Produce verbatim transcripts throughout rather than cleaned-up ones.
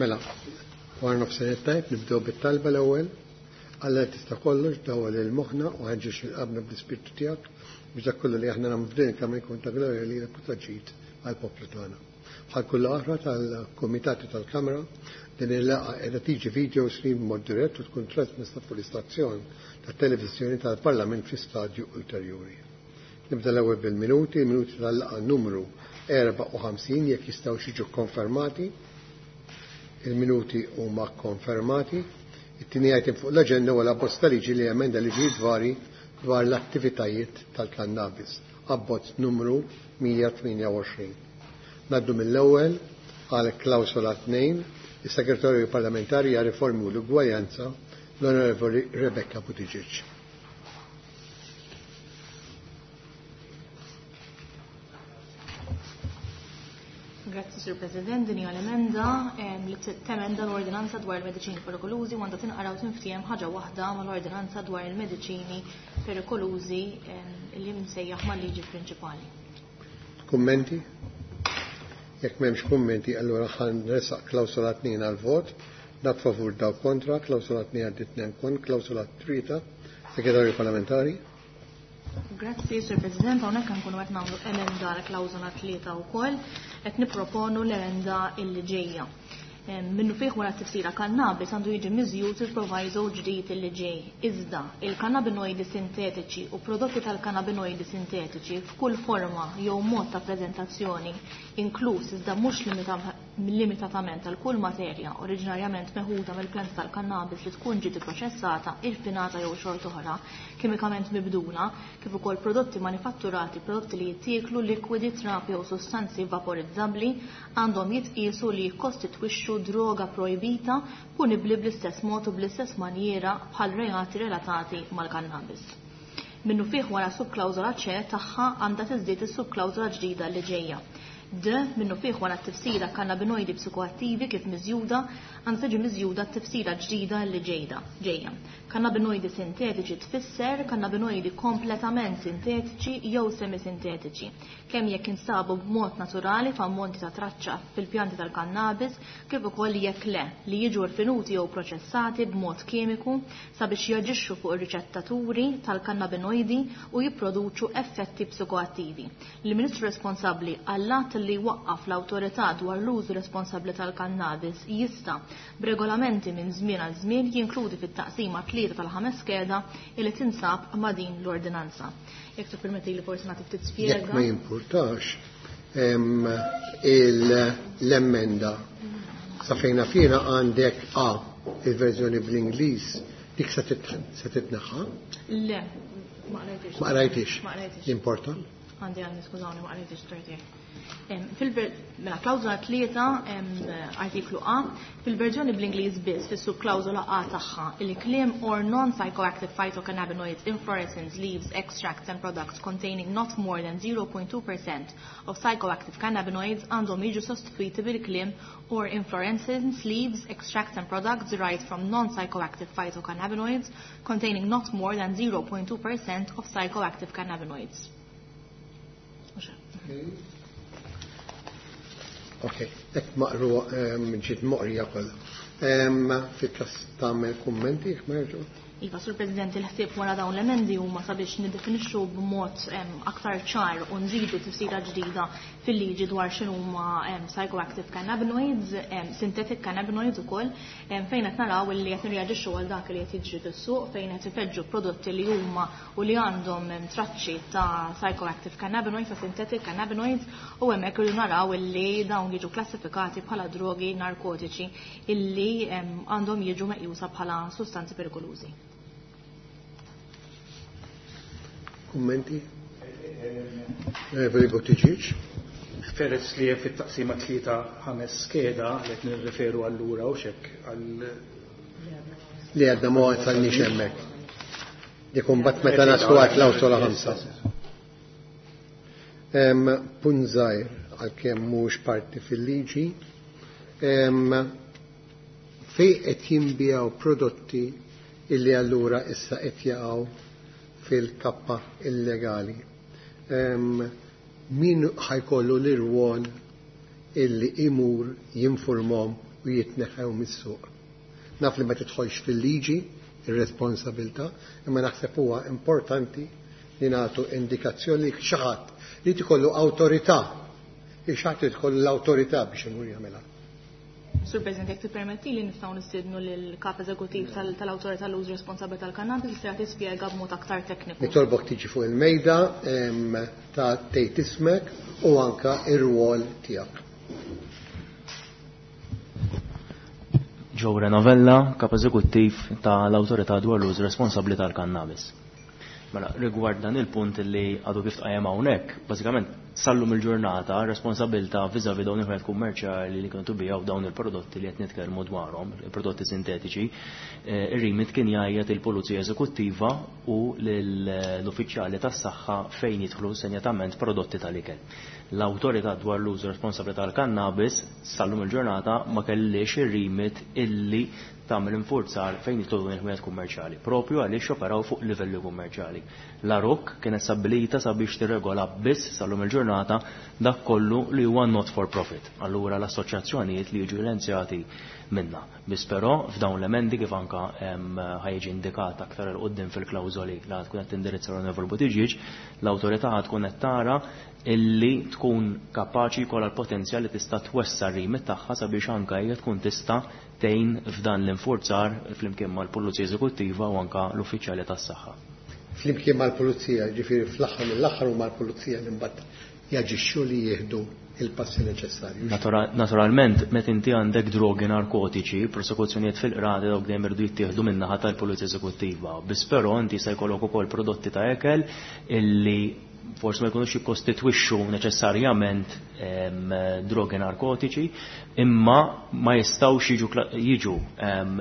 Mela, wara nofsinhar tajb, nibdew bit-talba l-ewwel. Alla tista' kollox, dawwal lil moħħna u ħeġġeġ lil qalbna bl-Ispirtu tiegħek biex dak kollu li aħna nagħmlu f'din il-Kamra jkun ta' glorja lilek u ta' ġid għall-poplu tagħna. Bħal kull oħra tal-kumitati tal-Kamra, din il-laqgħa qiegħda tiġi video stream b'mod dirett u tkun trasmessa fuq l-istazzjon tat-televiżjoni tal-Parlament fi stadju ulterjuri. Nibda l-ewwel bil-minuti, il-minuti tal-laqgħa numru erbgħa u ħamsin jekk jistgħu jiġu konfermati. Il-minuti huma konfermati. It-tieni item fuq l-aġenda huwa l-abbozz ta' liġi li emenda liġijiet vari dwar l-attivitajiet tal-kannabis, abbozz numru mija tmienja u għoxrin. Naddu mill-ewwel għal klawsola tnejn, is-Segretarju Parlamentari għal Riformi u l-Ugwaljanza, l-Onorevoli Rebecca Buttigieg. Grazzi, Sur President. Din hija l-emenda li temenda l-ordinanza dwar il-mediċini perikolużi u għandha tinqara u tinftiehem ħaġa waħda mal-ordinanza dwar il-mediċini perikolużi li msejjaħ mal-liġi prinċipali. Kummenti? Jekk m'hemmx kummenti, allura ħa nresaq klawsola tnejn għal-vot. Dak favur, dawk kontra, klawsola tnejn għaddiet tnejn kont, klawsola tlieta, Segretarju Parlamentari. Grazzi, Sur President. Hawnhekk nkunu qed nagħmlu emenda għal klawsola tlieta wkoll, qed nipproponu l-emenda illi ġejja. Minnu fih wara t-tifsira kannabis għandu jiġi miżjud il-proviso ġdid illi ġej. Iżda, il-kannabinoidi sintetiċi u prodotti tal-kannabinoidi sintetiċi f'kull forma jew mod ta' preżentazzjoni, inkluż iżda mhux limita-, limitatament għal kull materja oriġinarjament meħuda mill-pjanta tal-kannabis li tkun ġiet ipproċessata, irfinata jew xorta oħra, kimikament mibdula, kif ukoll prodotti manifatturati, prodotti li jittieklu, likwidi, trapi jew sostanzi vaporizzabbli, għandhom jitqiesu li jikkostitwixxu droga projbita punibbli bl-istess mod u bl-istess manjiera bħal reati relatati mal-kannabis. Minnu fih wara subklawżola C tagħha għandha tiżdied is-subklawżola ġdida li ġejja. D minnu fih wara t-tifsira kannabinoidi psikoattivi kif miżjuda għandha tiġi miżjuda t-tifsira ġdida li ġejda ġejja. Kannabinoidi sintetiċi tfisser kannabinoidi kompletament sintetiċi jew semisintetiċi, kemm jekk instabu b'mod naturali f'ammonti ta' traċċa fil-pjanti tal-kannabis, kif ukoll jekk le, li jiġu rfinuti jew proċessati b'mod kimiku sabiex jaġixxu fuq ir-riċettaturi tal-kannabinoidi u jipproduċu effetti psikoattivi. Il-Ministru responsabbli għall-att li waqqaf l-awtorità dwar l-użu responsabbli tal-kannabis jista' b'regolamenti minn żmien għal żmien jinkludi fit-taqsima tlieta tal-ħames skeda li tinsab ma' din l-ordinanza. Jekk tippermetti li forsi nagħti ftit spjega. Jekk ma jimpurtax, em, il-, l-emenda sa fejna fina għandek A il-verżjoni bl-Ingliż, dik se tit-, se titneħħa? Le, ma qrajtix. Ma qrajtix. Ma qrajtix. Importa? Għandi, għandi, skużawni, ma qrajtix torti. Em, fil-ver-, mela, klawżola tlieta, em, artiklu A, fil-verżjoni bl-Ingliż biss, fis-subklawżola A tagħha, il-kliem or non-psychoactive phytocannabinoids, inflorescence, leaves, extracts and products containing not more than zero point two percent of psychoactive cannabinoids għandhom jiġu sostituiti bil-kliem or inflorescence, leaves, extracts and products derived from non-psychoactive phytocannabinoids containing not more than zero point two percent of psychoactive cannabinoids. Ok, ek maqru, em, ġiet moqrija kollha. Em, Fil-kas tagħmel kummenti jekk ma jerġgħu? Iva, Sur President, il-ħsieb wara dawn l-emendi huma sabiex niddefinixxu b'mod, em, aktar ċar u nżidu tifsira ġdida fil-liġi dwar x'inhuma, em, psychoactive cannabinoids, em, synthetic cannabinoids ukoll, em, fejn qed naraw li qed nirreaġixxu għal dak li qed jiġri fis-suq, fejn qed ifeġġu prodotti li huma u li għandhom, em, traċċi ta' psychoactive cannabinoids, ta' synthetic cannabinoids, u hemmhekk irridu naraw illi dawn jiġu klassifikati bħala drogi narkotiċi illi, em, għandhom jiġu meqjusa bħala sustanzi perikolużi. Kummenti? Onorevoli Buttigieg. Peress li hemm fit-taqsima tlieta ħames skeda li qed nirreferu allura u xek għal li għadna ma wasalniex hemmhekk. Dik imbagħad meta naslu għal klawsola ħamsa. Em, punt żgħir għalkemm mhux parti fil-liġi, em, fejn qed jinbiegħu prodotti illi allura issa qed jaqgħu fil-kappa illegali. Em, min ħajkollu l-irwol illi imur jinformhom u jitneħħew mis-suq. Naf li ma tidħolx fil-liġi ir-responsabilità, imma naħseb huwa importanti li nagħtu indikazzjoni li xi ħadd li tkollu awtorità, li xi ħadd tkollu l-awtorità biex imur jagħmilha. Sur President, jekk tippermetti li nistgħu nistiednu lill-kap eżekuttiv tal-Awtorità l-Użu Responsabbli tal-Kannabis li se tispjega b'mod aktar tekniku. Nitolbok tiġi fuq il-mejda ta' tgħid ismek u anka ir-rwol tiegħek. Joe Renovella, kap eżekuttiv tal-Awtorità dwar l-Użu Responsabbli tal-Kannabis. Mela, rigward dan il-punt li għadu kif tqajjem hawnhekk, bażikament sallum il-ġurnata responsabilità vis-à-vis dawn il-ħwejjeġ kummerċjali li kienu tubijaw dawn il-prodotti li qed nitkellmu dwarhom, il-prodotti sintetiċi, ir-rimit kien jgħajjat il-Pulizija Eżekuttiva u l-uffiċjali tas-saħħa fejn jidħlu senjatament prodotti tal-ikel. L-awtorità dwar l-użu responsabbli tal-kannabis sallum il-ġurnata ma kellix ir-rimit illi tagħmel infurzar fejn jitlu il-ħwejjeġ kummerċjali, propju għaliex operaw fuq livelli kummerċjali. La R O K kienet stabbilita sabiex tirregola biss sal-lum il-ġurnata dak kollu li huwa not for profit. Allura l-assoċjazzjonijiet li jiġu lenzjati minna. Biss però f'dawn l-emendi, kif anka ħajġi indikat aktar 'il quddiem fil-klawżoli li tkun qed tindirizza l-Onorevoli Buttigieg, l-awtorità tkun qed tara illi tkun kapaċi jkollha l-potenzjal li tista' twessa' r-rimit tagħha sabiex anke hija tkun tista' tgħin f'dan l-infurzar flimkien mal-Pulizija Eżekuttiva u anka l-uffiċjali tas-saħħa. Flimkien mal-Pulizija, ġifieri fl-aħħar mill-aħħar u mal-Pulizija li mbagħad jaġixxu li jieħdu il-passi neċessarji. Naturalment, meta inti għandek drogi narkotiċi, prosekuzzjonijiet fil-qrati dawk dejjem irdu jittieħdu min-naħa tal-Pulizija Eżekuttiva. Biss però inti se jkollok ukoll prodotti ta' ekel illi forsi ma jkunux jikkostitwixxu neċessarjament drogi narkotiċi, imma ma jistgħux jiġu jiġu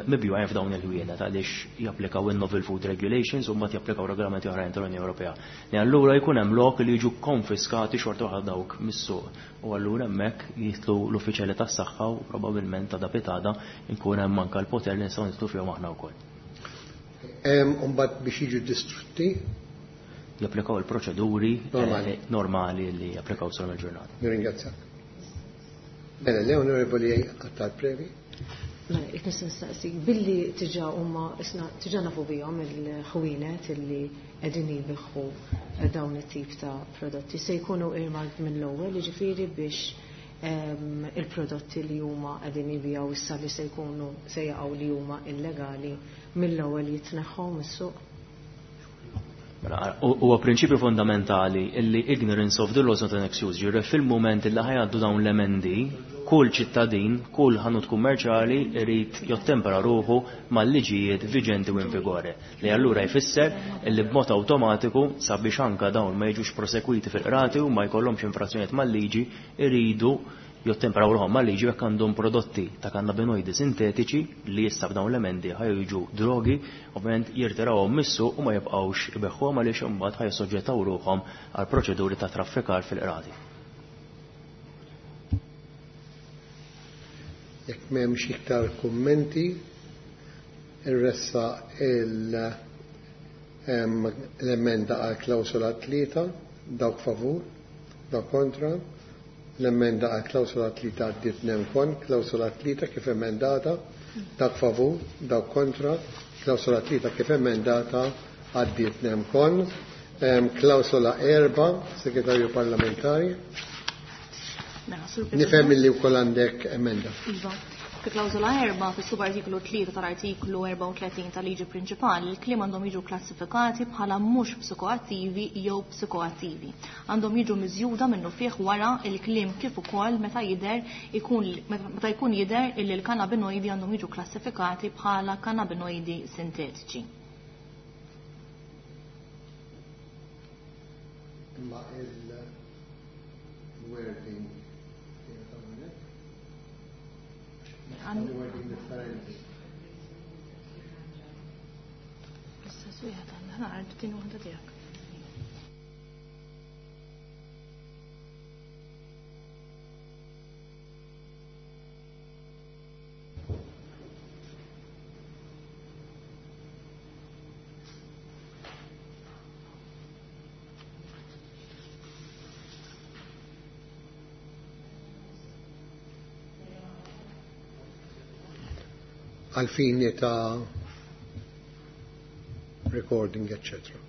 mibjugħin f'dawn il-ħwienet għaliex japplikaw il-Novel Food Regulations u mbagħad japplikaw regolamenti oħrajn tal-Unjoni Ewropea. Li allura jkun hemm lok li jiġu konfiskati xorta waħda dawk mis-suq. U allura hemmhekk jitlu l-uffiċjali tas-saħħa u probabbilment ta' dapitada jkun hemm anke l-poter li nistgħu nitlu fihom aħna wkoll. Mbagħad biex jiġu distrutti japplikaw il-proċeduri normali, eh, normali li japplikaw sal il-ġurnata. Nirringrazzjak. Mela, le Onorevoli Attard Previ. Mela, jek nista' nistaqsi, billi tiġa huma isna tiġa nafu bihom il-ħwienet illi qegħdin jbigħu dawn it-tip ta' prodotti se jkunu earmarked mill-ewwel, jiġifieri biex ehm, il-prodotti li huma qegħdin jbigħu issa li se jkunu se jaqgħu li huma illegali mill-ewwel jitneħħu mis-suq? Mela, huwa prinċipju fondamentali illi ignorance of the law is not an excuse. Ġifieri fil-moment illi ħajgħaddu dawn l-emendi, kull ċittadin, kull ħanut kummerċjali irid jottempera ruħu mal-liġijiet viġenti u in vigore. Li allura jfisser illi b'mod awtomatiku sabiex anka dawn ma jiġux prosekwiti fil-qrati u ma jkollhomx infrazzjonijiet mal-liġi iridu jottemperaw ruħhom mal-liġi jekk għandhom prodotti ta' kannabinoidi sintetiċi li issa b'dawn l-emendi ħajġu drogi, ovvjament jirtirawhom mis-suq u ma jibqgħux ibeħħuhom għaliex imbagħad ħajsoġġettaw ruħhom għal proċeduri ta' traffikar fil-qrati. Jekk m'hemmx iktar kummenti, irressa l-emenda għal klawsola tlieta, dawk favur, dawk kontra. L-emenda għal klawsola tlieta għaddiet nemkon, klawsola tlieta kif emendata, dawk favur, dawk kontra, klawsola tlieta kif emendata għaddiet nemkon. Klawsola erba, segretarju parlamentari. Mela, Sur President. Nifhem li wkoll għandek emenda. Iva. Fi klawsola erba, fi subartiklu tlieta tal-artiklu erbgħa u tletin tal-liġi prinċipali, il-kliem għandhom jiġu klassifikati bħala mhux psikoattivi jew psikoattivi. Għandhom jiġu miżjuda minnu fih wara il-kliem kif ukoll meta jidher ikun meta jkun jidher illi l-kannabinoidi għandhom jiġu klassifikati bħala kannabinoidi sintetiċi. Imma il-wording wording differenti. Issa wieħed għandna naqra tin waħda tiegħek. Għal fini ta' recording, eccetera.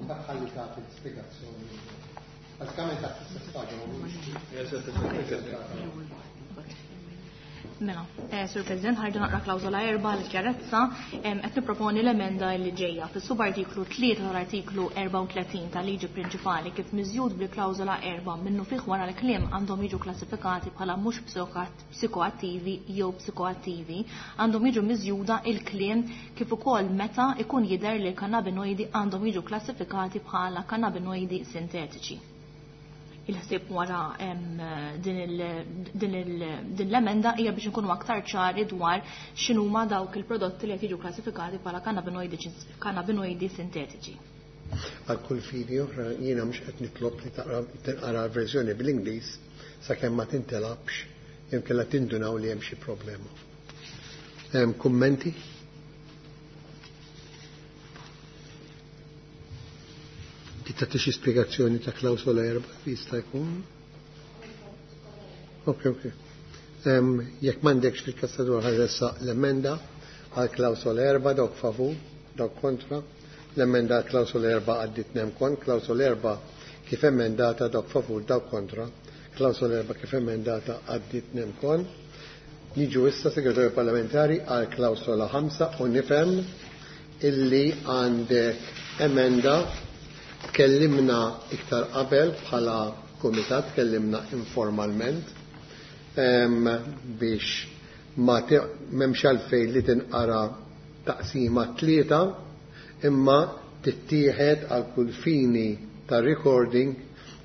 Ħalli tagħti l-spjegazzjoni. Bażikament taħt l-istess paġna. Mela, eh, Sur President, ħarġu naqra klawżola erba' l-ċarezza, qed nipproponi l-emenda li ġejja fis-subartiklu tlieta tal-artiklu erbgħa u tletin tal-liġi prinċipali kif miżjud bil-klawżola erba' minnu fih wara l-kliem għandhom jiġu klassifikati bħala mhux psikoattivi jew psikoattivi, għandhom jiġu miżjuda il-kliem kif ukoll meta ikun jidher li l-kannabinoidi għandhom jiġu klassifikati bħala kannabinoidi sintetiċi. Il-ħsieb wara din l-emenda hija biex inkunu aktar ċari dwar x'inhuma dawk il-prodotti li qed jiġu klassifikati bħala kannabinoidi sintetiċi. Għal kull fini oħra jiena mhux qed nitlob li tinqara l-verżjoni bl-Ingliż sakemm ma tintelabx jew kellha tindunaw li hemm xi problema. Hemm kummenti? Tagħti xi spjegazzjoni ta' klawsola erba' jista' jkun? Ok, ok. Jekk m'għandekx fil-kastadur ħarressa l-emenda għal klawsola erba' dawk favur, dawk kontra. L-emenda għal klawsola erba' għaddit nemkon, klawsola erba' kif emendata dawk favur, dawk kontra. Klawsola erba' kif emendata għaddit nemkon. Niġu issa segretarju parlamentari għal klawsola ħamsa u nifhem illi għandek emenda. Tkellimna iktar qabel bħala kumitat, tkellimna informalment biex ma m'hemmx għalfejn li tinqara taqsima tlieta imma tittieħed għal kull fini ta' recording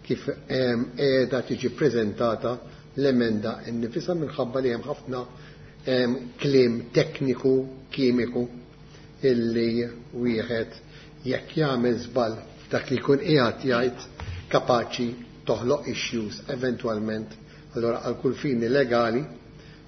kif qiegħda tiġi preżentata l-emenda nnifisha minħabba li hemm ħafna kliem tekniku kimiku illi wieħed jekk jagħmel żball dak li jkun qiegħed jgħid kapaċi toħloq issues eventwalment. Allora għal kull fini legali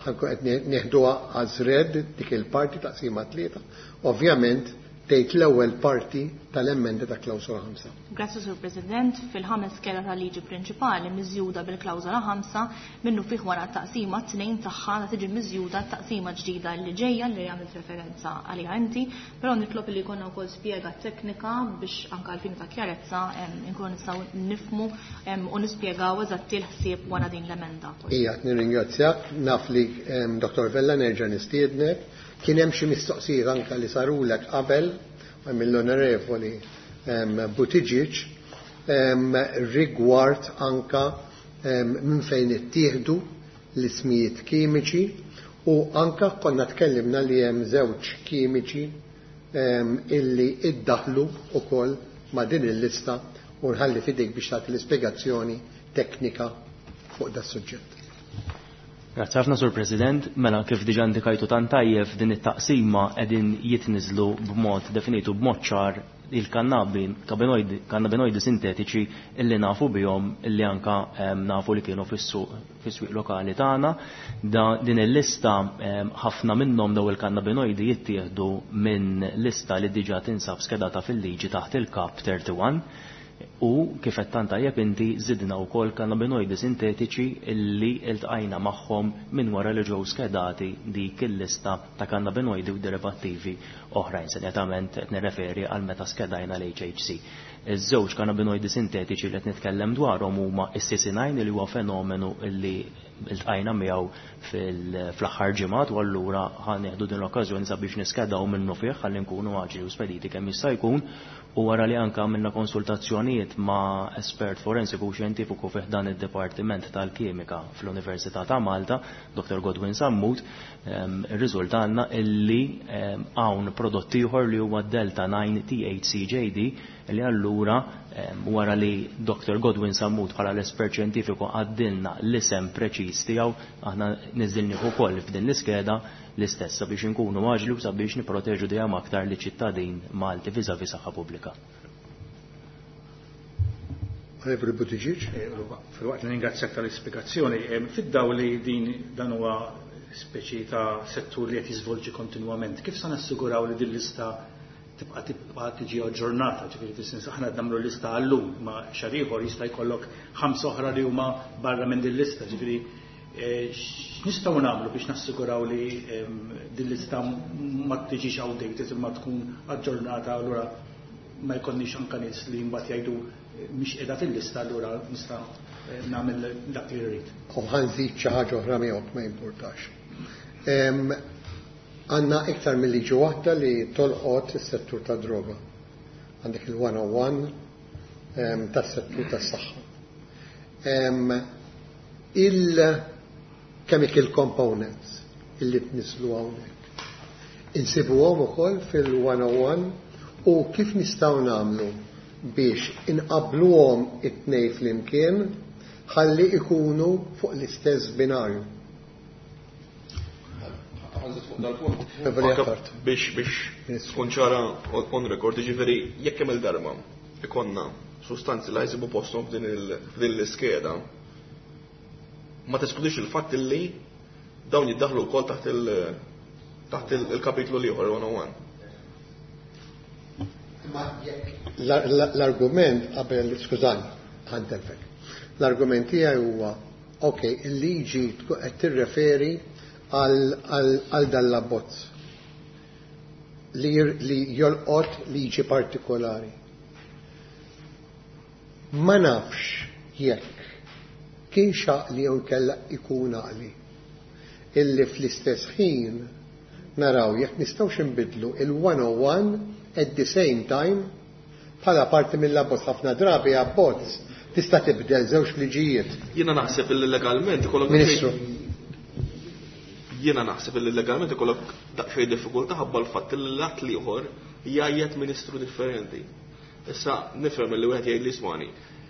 ħankun qed nieħduha as read dik il-parti taqsima tlieta. Ovvjament tgħid l-ewwel parti tal-emenda ta' klawsola ħamsa. Grazzi Sur President, fil-ħames skeda tal-liġi prinċipali miżjuda bil-klawsola ħamsa minnu fih wara taqsima tnejn tagħha ta' tiġi miżjuda taqsima ġdida li ġejja li għamilt referenza għaliha inti, però nitlob li jkollna wkoll spjega teknika biex anke għal-fin ta' kjarezza nkunu nistgħu nifhmu u nispjegaw eżatti l-ħsieb wara din l-emenda. Ija, nirringrazzjak, naf li Dottor Vella nerġa' nistiednek. Kien hemm xi mistoqsijiet anke li sarulek qabel mill-Onorevoli Buttigieg rigward anka minn fejn ittieħdu l-ismijiet kimiċi u anka konna tkellimna li hemm żewġ kimiċi illi iddaħlu ukoll ma' din il-lista u nħalli f'idejk biex tagħti l-ispjegazzjoni teknika fuq da suġġett. Grazzi ħafna Sur President, mela kif diġà indikajtu tant tajjeb din it-taqsima qegħdin jitniżlu b'mod definitu b'mod ċar il-kannabinoidi kannabinoidi sintetiċi illi nafu bihom illi anka nafu li kienu fis-suq fis-swieq lokali tagħna. Din il-lista ħafna minnhom daw il-kannabinoidi jittieħdu minn lista li diġà tinsab skedata fil-liġi taħt il-Kap thirty-one. U kif qed tant tajjeb inti żidna wkoll kannabinoidi sintetiċi illi iltqajna magħhom minn wara li ġew skedati dik il-lista ta' kannabinoidi u derivattivi oħrajn. Senjatament qed nirreferi għal meta skedajna l-H H C. Iż-żewġ kannabinoidi sintetiċi li qed nitkellem dwarhom huma s-C C nine li huwa fenomenu illi iltqajna miegħu fl-aħħar ġimgħat u allura ħa nieħdu din l-okkażjoni sabiex niskedaw minnu fih ħalli nkunu aġili u spediti kemm jista' jkun. U wara li anka għamilna konsultazzjonijiet ma' espert forensiku u xjentifiku fih dan id-Dipartiment tal-Kimika fl-Università ta' Malta, Doktor Godwin Sammut, irriżultanna illi hawn prodott ieħor li huwa Delta nine T H C J D li allura wara li Doktor Godwin Sammut bħala l-espert xjentifiku għaddilna l-isem preċiż tiegħu, aħna niżilnieh ukoll f'din l-iskeda l-istess sabiex inkunu aġli u sabiex nipproteġu dejjem aktar li ċittadin Malti viżavi saħħa pubblika. Onorevoli Buttigieg. Filwaqt li ningrazzjak tal-ispjegazzjoni, fid-dawl li din dan huwa speċi ta' settur li qed jiżvolġi kontinwament, kif se nassiguraw li din lista tibqa' tibqa' tiġi aġġornata, ġifieri fis-sens aħna qed nagħmlu lista għallum, ma xahar ieħor jista' jkollok ħamsa oħra li huma barra minn din lista, ġifieri x'nistgħu nagħmlu biex nassiguraw li din lista ma tiġix outdated imma tkun aġġornata, allura ma jkollniex anke nies li mbagħad jgħidu mhix qiegħda fil-lista, allura nista' nagħmel dak li rrid. U ħa nżid xi ħaġa oħra miegħek, ma jimpurtax. Għandna iktar mill-liġi waħda li tolqot is-settur ta' droga. Għandek il-one oh one tas-settur tas-saħħa. Il-chemical components illi tnislu hawnhekk insibuhom ukoll fil-one oh one, u kif nistgħu nagħmlu biex inqabluhom it-tnejn flimkien ħalli ikunu fuq l-istess binarju? Dal-punt. Biex biex tkun ċara on record, ġifieri jekk hemm il-darba ikonna sustanzi li jsibu posthom f'din l-iskeda, ma teskludix il-fatt li dawn jiddaħlu wkoll taħt il- taħt il-kapitlu l-ieħor one oh one. L-argument qabel, skużani, ħa ntellfek. L-argument tiegħi huwa, ok, il-liġi qed tirreferi għal dal-abbozz li, li jolqot liġi partikolari. Ma nafx jekk kien għaqli jew kella ikun għaqli illi fl-istess ħin naraw jekk nistgħux nbidlu il-one oh one at the same time bħala parti mill-abbozz. Ħafna drabi abbozz tista' tibdel żewġ liġijiet. Jiena naħseb illi legalment ikollok Ministru. Jiena naħseb illi legalment ikollok daqsxejn diffikultà ħabba l-fatt li l-att l-ieħor jgħajjet ministru differenti. Issa nifhem li wieħed jgħid li ismani.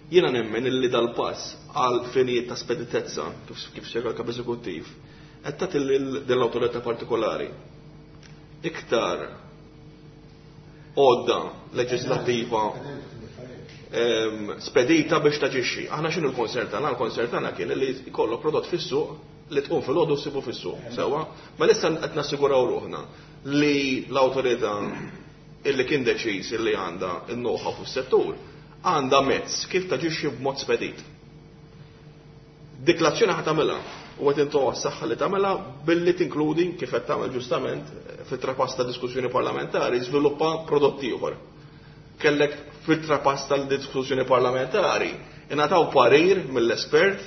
Jiena nemmen illi dal-pass għal finijiet ta' speditezza, kif kif spjega l-kap eżekuttiv, qed tagħti lil awtorità partikolari iktar għodda leġislattiva spedita biex taġixxi. Aħna x'inhu l-concern tagħna? Il-concern tagħna kien li jkollok prodott fis-suq li tqum fil-għodu ssibu fis-suq. Sewwa, ma issa qed nassiguraw ruħna li l-awtorità illi kien deċiż illi għandha n-know-how fis-settur għandha mezz kif taġixxi b'mod spedit. Dik l-azzjoni ħa tagħmilha u qed intuha s-saħħa li tagħmilha billi tinkludi, kif qed tagħmel ġustament fit-trapass ta' diskussjoni parlamentari, żviluppa prodotti ieħor. Kellek fit-trapass tal-diskussjoni parlamentari ingħataw parir mill-espert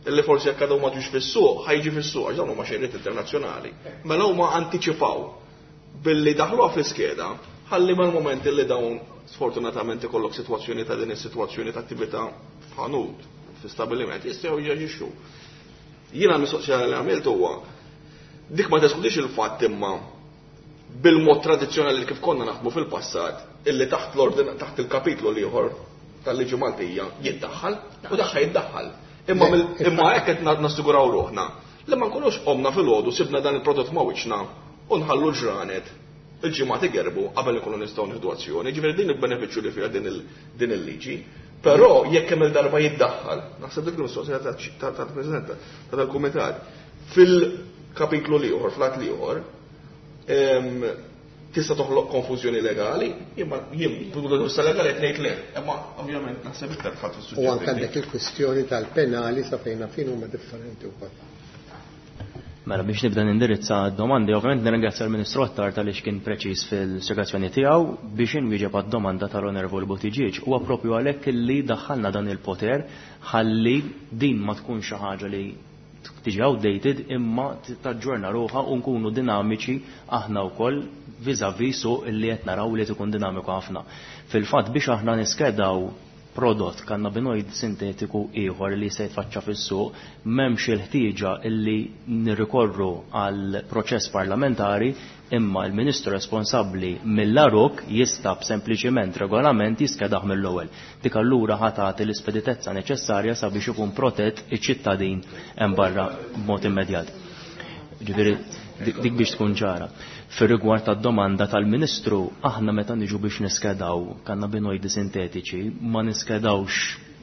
illi forsi jekk għadhom ma ġux fis-suq, ħa jiġi fis-suq għax dawn huma xejriet internazzjonali. Mela huma antiċipaw billi daħluha fl-iskeda ħalli mal-moment illi dawn sfortunatament ikollok sitwazzjoni ta' din is-sitwazzjoni ta' attività f'ħanut, fi stabiliment, jistgħu jaġixxu. Jiena l-mistoqsija li għamilt huwa dik: ma teskludix il-fatt imma bil-mod tradizzjonali kif konna naħdmu fil-passat illi taħt l-ordin, taħt il-kapitlu l-ieħor tal-liġi Maltija jiddaħħal u daħħal jiddaħħal. Imma imma hekk qed nassiguraw ruħna li ma nkunux qomna fil-għodu sibna dan il-prodott ma' wiċċna u nħallu ġranet, il-ġimgħat igerbu qabel ikunu nistgħu nieħdu azzjoni. Ġifieri din il-benefiċċju li fiha din il-liġi. Però jekk hemm il-darba jiddaħħal, naħseb dik il-mistoqsija tal-President tal-Kumitat, fil-kapitlu l-ieħor, fl-att l-ieħor, tista' toħloq konfużjoni legali, imma jien punto legali qed ngħid le, imma ovvjament naħseb iktar tħadd fis-suġġett. U anke għandek il-kwistjoni tal-penali, sa fejn fin huma differenti wkoll. Mela, biex nibda nindirizza domandi, ovvjament nirringrazzja l-Ministru Attard għaliex kien preċiż fil-spjegazzjoni tiegħu. Biex inwieġeb għad-domanda tal-Onorevoli Buttigieg, huwa propju għalhekk li daħħalna dan il-poter, ħalli din ma tkun xi ħaġa li tiġi outdated imma taġġorna ruħha u nkunu dinamiċi aħna wkoll vis-à-vis suq illi qed naraw li tkun dinamiku ħafna. Fil-fatt, biex aħna niskedaw prodott kannabinoid sintetiku ieħor li se jitfaċċa fis-suq, m'hemmx il-ħtieġa illi nirrikorru għal proċess parlamentari, imma l-Ministru responsabbli mill-A R U K jista' b'sempliċiment regolament jiskedaħ mill-ewwel. Dik allura ħa tagħti l-ispeditezza neċessarja sabiex ikun protett iċ-ċittadin hemm barra b'mod immedjat. Ġifieri dik biex tkun ċara. Fir-rigward tad-domanda tal-Ministru, aħna meta niġu biex niskedaw kannabinoidi sintetiċi, ma niskedawx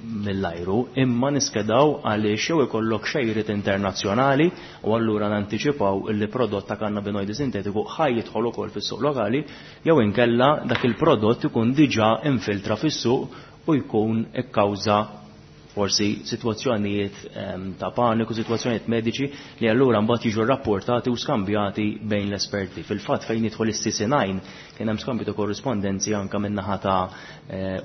mill-ajru, imma niskedaw għaliex jew ikollok xejriet internazzjonali u allura nantiċipaw illi prodott ta' kannabinoidi sintetiku ħaj jidħol ukoll fis-suq lokali, jew inkella dak il-prodott ikun diġà infiltra fis-suq u jkun ikkawża forsi sitwazzjonijiet ta' paniku, sitwazzjonijiet mediċi li allura mbagħad jiġu rrapportati u skambjati bejn l-esperti. Fil-fatt fejn jidħol is-C C nine kien hemm skambju ta' korrispondenzi anke min-naħa ta'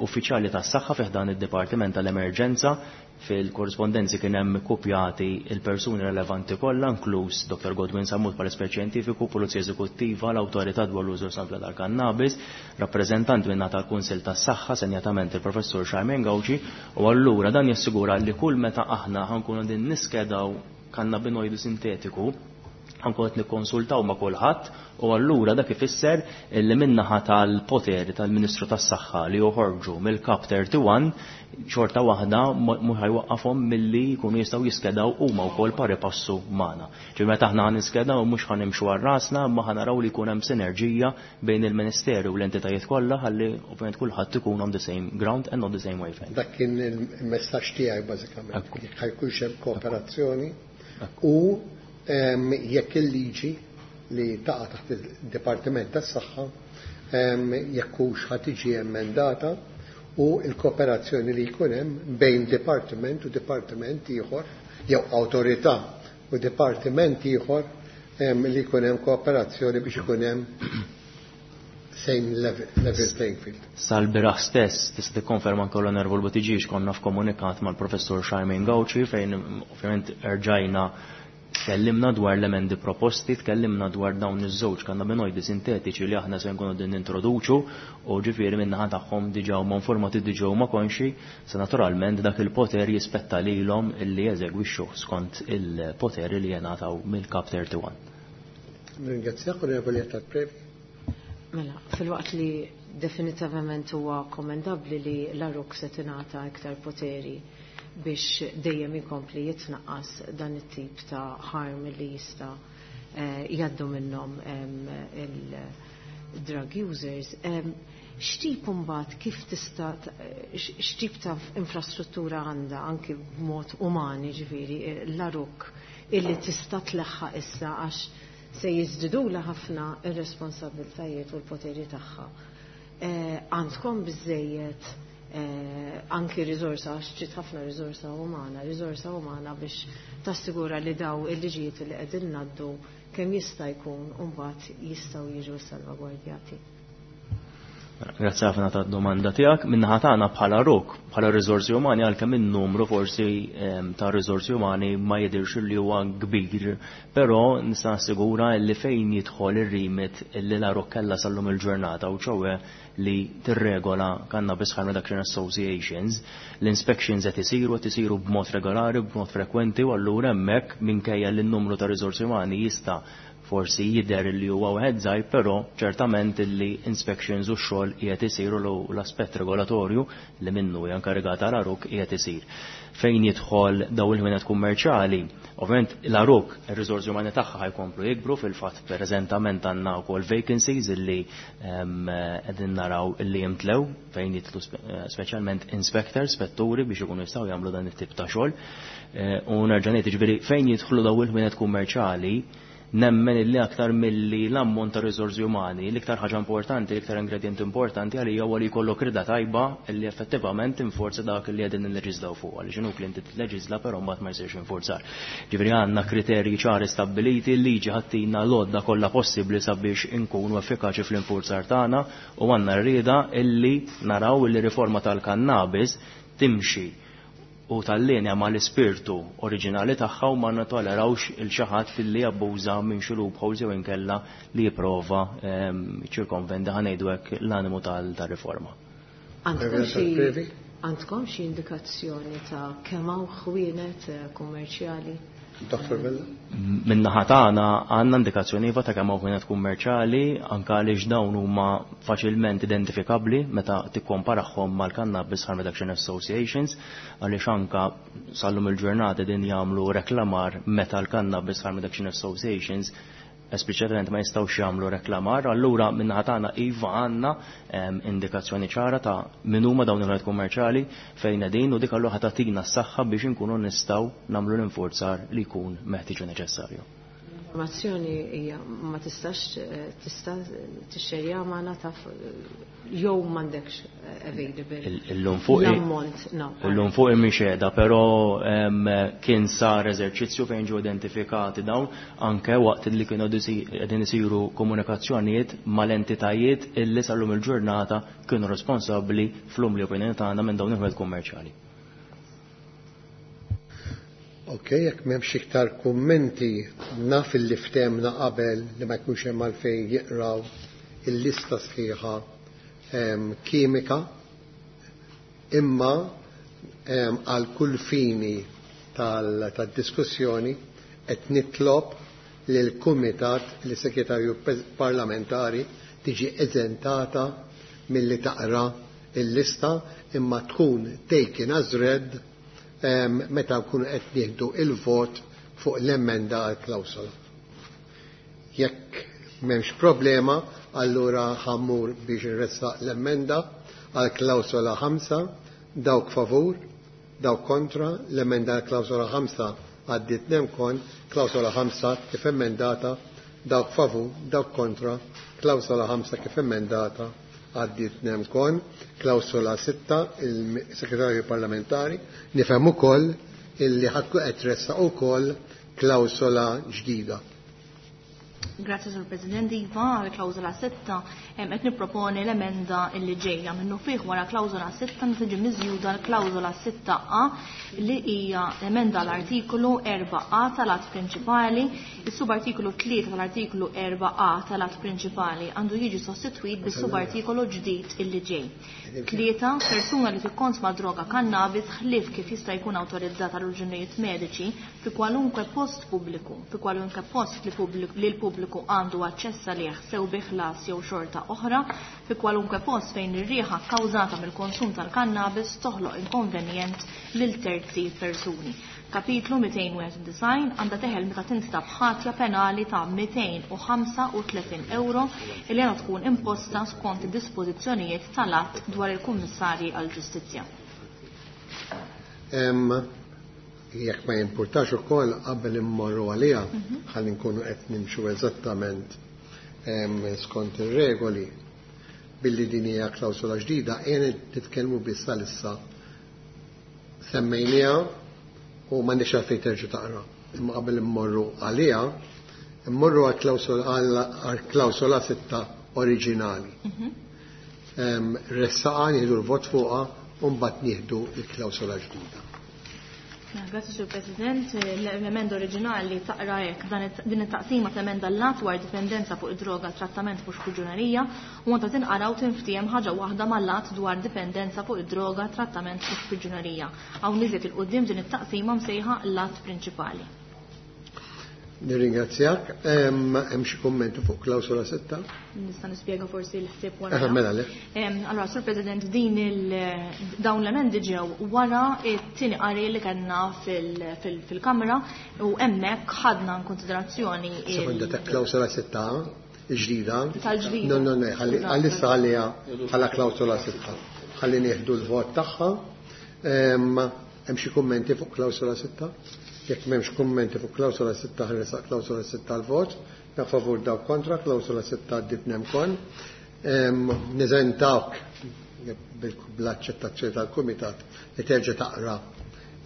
uffiċjali tas-saħħa fih dan id-Dipartiment tal-Emerġenza. Fil-korrispondenzi kien hemm kopjati il-persuni relevanti kollha, inkluż Doktor Godwin Sammut bħala espert xjentifiku, Pulizija Eżekuttiva, l-Awtorità dwar l-użu responsabbli tal-kannabis, rappreżentanti minn tal-Kunsill tas-Saħħa, senjatament il-Professur Charmaine Gauci, u allura dan jassigura li kull meta aħna ħankunu din niskedaw kannabinoidu sintetiku, ħankun qed nikkonsultaw ma' kulħadd, u allura dak ifisser li min-naħa tal-poteri tal-Ministru tas-Saħħa li joħorġu mill-Kap thirty-one xorta waħda mhux ħajwaqqafhom milli jkunu jistgħu jiskedaw huma wkoll pari passu magħna. Ġifieri meta aħna ħaniskedaw mhux ħanimxu għal rasna, imma ħanaraw li jkun hemm sinerġija bejn il-Ministeru u l-entitajiet kollha ħalli ovvjament kulħadd ikun on the same ground and on the same wavelength. Dak kien il-messaġġ tiegħi bażikament. Ekku. Jekk ħajkunx hemm kooperazzjoni Ekku. u em, jekk il-liġi li taqa' taħt il-Dipartiment tas-Saħħa, em, jekk hux ħa tiġi emendata u l-kooperazzjoni li jkun hemm bejn dipartiment u dipartiment ieħor jew awtorità u dipartiment ieħor, em, li jkun hemm kooperazzjoni biex ikun hemm same level, level playing field. Sal-biraħ stess tista' tikkonferma anke l-Onorevol Buttigieg konna f'komunikat mal-Professur Charmaine Gauci fejn ovvjament erġajna tkellimna dwar l-emendi proposti, tkellimna dwar dawn iż-żewġ kannabinoidi sintetiċi li aħna se nkunu din nintroduċu u ġifieri min-naħa tagħhom diġà huma informati, diġà huma konxi, se naturalment dak il-poter jispetta lilhom illi jeżegwixxu skont il-poteri li jingħataw mill-Kap thirty-one. Ringrazzjak, Onorevoli Attard Previ. Mela, fil-waqt li definitivament huwa kommendabbli li l-A R U C se tingħata iktar poteri biex dejjem ikompli jitnaqqas dan it-tip ta' harm li jista', eh, jgħaddu minnhom, em, il-drug users. Em, x'tip imbagħad kif tista' t-, x-, x'tip ta' infrastruttura għandha anki b'mod umani, ġifieri, eh, l-A R U C illi tista' tleħħaq issa għax se jiżdidula ħafna ir-responsabbiltajiet u l-poteri tagħha. Eh, għandkom biżejjed, eh, anki riżorsa, għax trid ħafna riżorsa umana, riżorsa umana biex tassigura li daw il-liġijiet li qegħdin ngħaddu kemm jista' jkun u mbagħad jistgħu jiġu salvagwardjati. Grazzi ħafna tad-domanda tiegħek. Min-naħa tagħna bħala R U C, bħala riżorsi umani, għalkemm in-numru forsi, ehm, ta' riżorsi umani ma jidhirx li huwa kbir, però nista' nassigura li fejn jidħol ir-remit li l-A R U C kellha sal-lum il-ġurnata u ċowe li tirregola Cannabis Harm Reduction Associations, l-inspections qed isiru, qed isiru b'mod regolari, b'mod frekwenti, u allura hemmhekk minkejja li n-numru ta' riżorsi umani jista' forsi jidher li huwa wieħed żgħir, però ċertament li inspections u x-xogħol qiegħed isiru l-aspett regolatorju li minnu hija inkarigata l-A R U C qiegħed isir. Fejn jidħol daw il-ħwienet kummerċjali, ovvjament l-A R U C ir-riżorsi umani tagħha ħajkomplu jikbru, fil-fatt preżentament għandna wkoll vacancies illi, ehm, qegħdin naraw illi jimtlew fejn jidħlu spe-, eh, speċjalment inspectors, spetturi biex ikunu jistgħu jagħmlu dan it-tip ta' xogħol. Eh, u nerġa' ngħid, jiġifieri fejn jidħlu daw il-ħwienet kummerċjali, nemmen illi aktar milli l-ammont ta' riżorsi umani, l-iktar ħaġa importanti, l-iktar ingredient importanti għalija huwa li jkollok rida tajba illi effettivament tinforza dak li qegħdin nilleġislaw fuq, għaliex inhu li inti tilleġisla però mbagħad ma jsirx infurzar. Ġifieri għandna kriterji ċari stabbiliti, l-liġi ħattina l-għodda kollha possibbli sabiex inkunu effikaċi fl-infurzar tagħna u għandna rida illi naraw illi riforma tal-kannabis timxi u tal-linja ma l-ispirtu oriġinali tagħha u ma natolerawx il xi ħadd filli jabbuża minn xi loopholes jew inkella li jipprova, ehm, ċirkonvenda ħa ngħidu hekk l-animu tal-, tar-riforma. Għandkom xi Previ? Għandkom xi indikazzjoni ta' kemm hawn ħwienet, eh, kummerċjali? Doktor Vella? Min-naħa tagħna għandna indikazzjoni iva ta' kemm hawn ħwienet kummerċjali, anke għaliex dawn huma faċilment identifikabbli meta tikkomparahom mal-Cannabis Harm Reduction Associations, għaliex anke sal-lum il-ġurnata din jagħmlu reklamar meta l-Cannabis Harm Reduction Associations espliċitament ma jistgħux jagħmlu reklamar, allura min-naħa tagħna iva għandna indikazzjoni ċara ta' min huma dawn il-ħwienet kummerċjali fejn qegħdin u dik allura ħa tagħtina s-saħħa biex inkunu nistgħu nagħmlu l-infurzar li jkun meħtieġ u neċessarju. Informazzjoni hija ma tistax tista' tixxerja magħna taf jew m'għandekx available. Illum fuq l-ammont, no. Illum fuq mhix qiegħda, però kien sar eżerċizzju fejn ġew identifikati dawn anke waqt li kienu qegħdin isiru komunikazzjonijiet mal-entitajiet illi sal-lum il-ġurnata kienu responsabbli fl-umli opinjoni tagħna minn dawn il-ħwienet kummerċjali. Ok, jekk m'hemmx iktar kummenti, naf li ftemna qabel li ma jkunx hemm għalfejn jiqraw il-lista sħiħa kimika, imma għal kull fini tad-diskussjoni qed nitlob lil kumitat li segretarju parlamentari tiġi eżentata milli taqra il-lista imma tkun taken as read meta nkunu qed nieħdu il-vot fuq l-emenda għal klawsola. Jekk m'hemmx problema, allura ħammur biex nressaq l-emenda għal klawsola ħamsa, dawk favur, dawk kontra, l-emenda għal klawsola ħamsa għaddiet nemkon, klawsola ħamsa kif emendata, dawk favur, dawk kontra, klawsola ħamsa kif emendata għaddiet nemkon, klawsola sitta, il-segretarju parlamentari, nifhem ukoll illi ħadku qed tressaq ukoll klawsola ġdida. Grazie, Sur President. Iva, għal klawsola sitta qed nipproponi l-emenda illi ġejja minnu fih wara klawsola sitta tiġi miżjuda l-klawsola sitta A li hija emenda l-artikolu erba' A tal-att prinċipali, is-subartikolu tlieta tal-artikolu erba' A tal-att prinċipali għandu jiġi sostitwit bis-subartikolu ġdid illi ġej. Tlieta, persuna li tikkonsma droga kannabis ħlief kif jista' jkun awtorizzata għal raġunijiet mediċi fi kwalunkwe post pubbliku, fi kwalunkwe post li l-pubbliku għandu aċċess għalih sew bi ħlas jew xorta oħra, fi kwalunkwe post fejn ir-riħa kkawżata mill-konsum tal-kannabis toħloq inkonvenjent lil terzi persuni. Kapitlu mitejn u disgħin għandha teħel meta tinstab ħatja penali ta' mitejn u ħamsa u tletin euro li għandha tkun imposta skont id-dispożizzjonijiet tal-att dwar il-Kummissarji għall-Ġustizzja. Jekk ma jimpurtax ukoll qabel immorru għaliha, ħalli nkunu qed nimxu eżattament skont ir-regoli billi din hija klawsola ġdida, qiegħed nitkellmu biss għalissa semmejniha u m'għandix għalfejn terġa' taqra. Imma qabel immorru għaliha, immorru għall-klawsola sitta oriġinali. Ressaqa nieħdu l-vot fuqha u mbagħad nieħdu l-klawsola ġdida. Grazie, Sur President. L-emenda oriġinali taqra hekk din it-taqsima temenda l-att dwar dipendenza fuq id-droga trattament mhux priġunerija u għandha tinqara u tinftiehem ħaġa waħda mal-att dwar dipendenza fuq id-droga trattament mhux priġunerija. Hawn iżjed il-qudiem din it-taqsima msejħa l-att prinċipali. Nirringrazzjak. Hemm xi kummenti fuq klawsola sitta? Nista' nispjega forsi l-ħsieb wara. Mela le. Allora, Sur President, din il dawn l-emendi ġew wara t-tieni qari li kellna fil-Kamra u hemmhekk ħadna konsiderazzjoni. Sekonda ta' klawsola sitta ġdida. Tal-ġdida. No, no, no, għalissa għalija bħala klawsola sitta. Ħalli nieħdu l-vot tagħha. Hemm xi kummenti fuq klawsola sitta? Jekk m'hemmx kummenti fuq klawsola sitta ħaresaq klawsola sitta l-vot, da favur daw kontra, klawsola sitta għaddiet nemkon. Niżentawk bl-aċċettazzjoni tal-Kumitat li terġa' taqra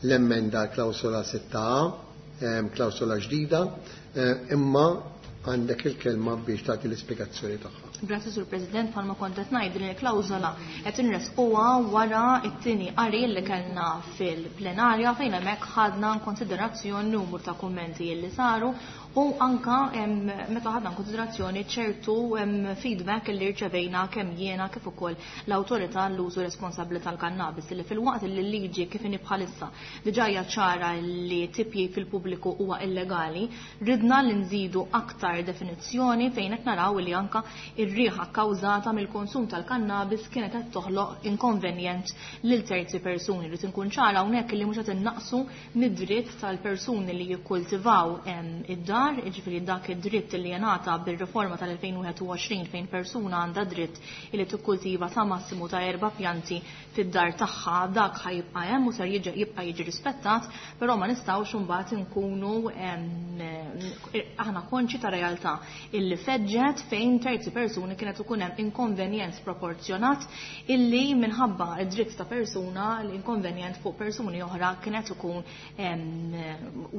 l-emenda klawsola sitta A, klawsola ġdida, imma għandek il-kelma biex tagħti l-ispjegazzjoni tagħha. Grazie, Sur President, bħalma kont qed ngħid din il-klawżola qed inresquha wara t-tieni qari li kellna fil-plenarja fejn hemmhekk ħadna konsiderazzjoni numru ta' kummenti li saru u anka meta ħadna konsiderazzjoni ċertu feedback li rċevejna kemm jiena kif ukoll l-awtorità l-użu responsabbli tal-kannabis li fil-waqt li l-liġi kif inhi bħalissa diġà hija ċara li tipji fil-pubbliku huwa illegali, ridna li nżidu aktar definizzjoni fejn qed naraw li anka ir-riħa kkawżata mill-konsum tal-kannabis kienet qed toħloq inkonvenjent lil terzi persuni. Rid inkun ċara hawnhekk li mhux qed innaqsu mid-dritt tal-persuni li jikkultivaw id-dar id-dar, jiġifieri dak id-dritt li jingħata bir-riforma tal-elfejn u wieħed u għoxrin fejn persuna għandha dritt li tikkultiva sa massimu ta' erba' pjanti fid-dar tagħha, dak ħajibqa' hemm u ser jibqa' jiġi rispettat, però ma nistgħux imbagħad inkunu aħna konxi ta' realtà illi feġġet fejn terzi persuni kienet ikun hemm inkonvenjent sproporzjonat illi minħabba id-dritt ta' persuna l-inkonvenjent fuq persuni oħra kienet ikun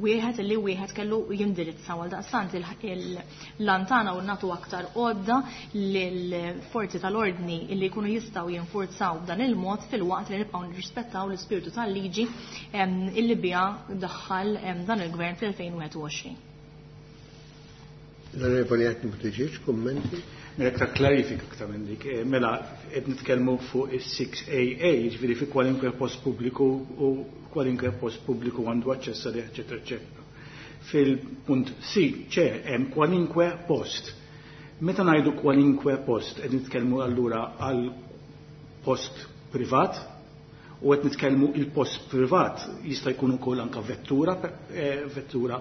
wieħed illi wieħed kellu jindirizza. Għal daqstant l-antana u natu aktar għodda lill-forzi tal-ordni illi jkunu jistgħu jinfurzaw b'dan il-mod fil-waqt li nibqgħu nirrispettaw l-ispirtu tal-liġi illi biha daħħal dan il-gvern fl-elfejn u wieħed u għoxrin. L-Onorevoli Anthony Buttigieg, kummenti? Mela aktar klarifika aktar minn dik. Mela qed nitkellmu fuq is-six A A, jiġifieri fi kwalinkwe post pubbliku u kwalinkwe post pubbliku għandu aċċess għalih, eċetera, eċetera. Fil-punt C, C hemm kwalinkwe post. Meta ngħidu kwalinkwe post, qed nitkellmu allura għal post privat u qed nitkellmu il-post privat jista' jkun ukoll anke vettura, eh, vettura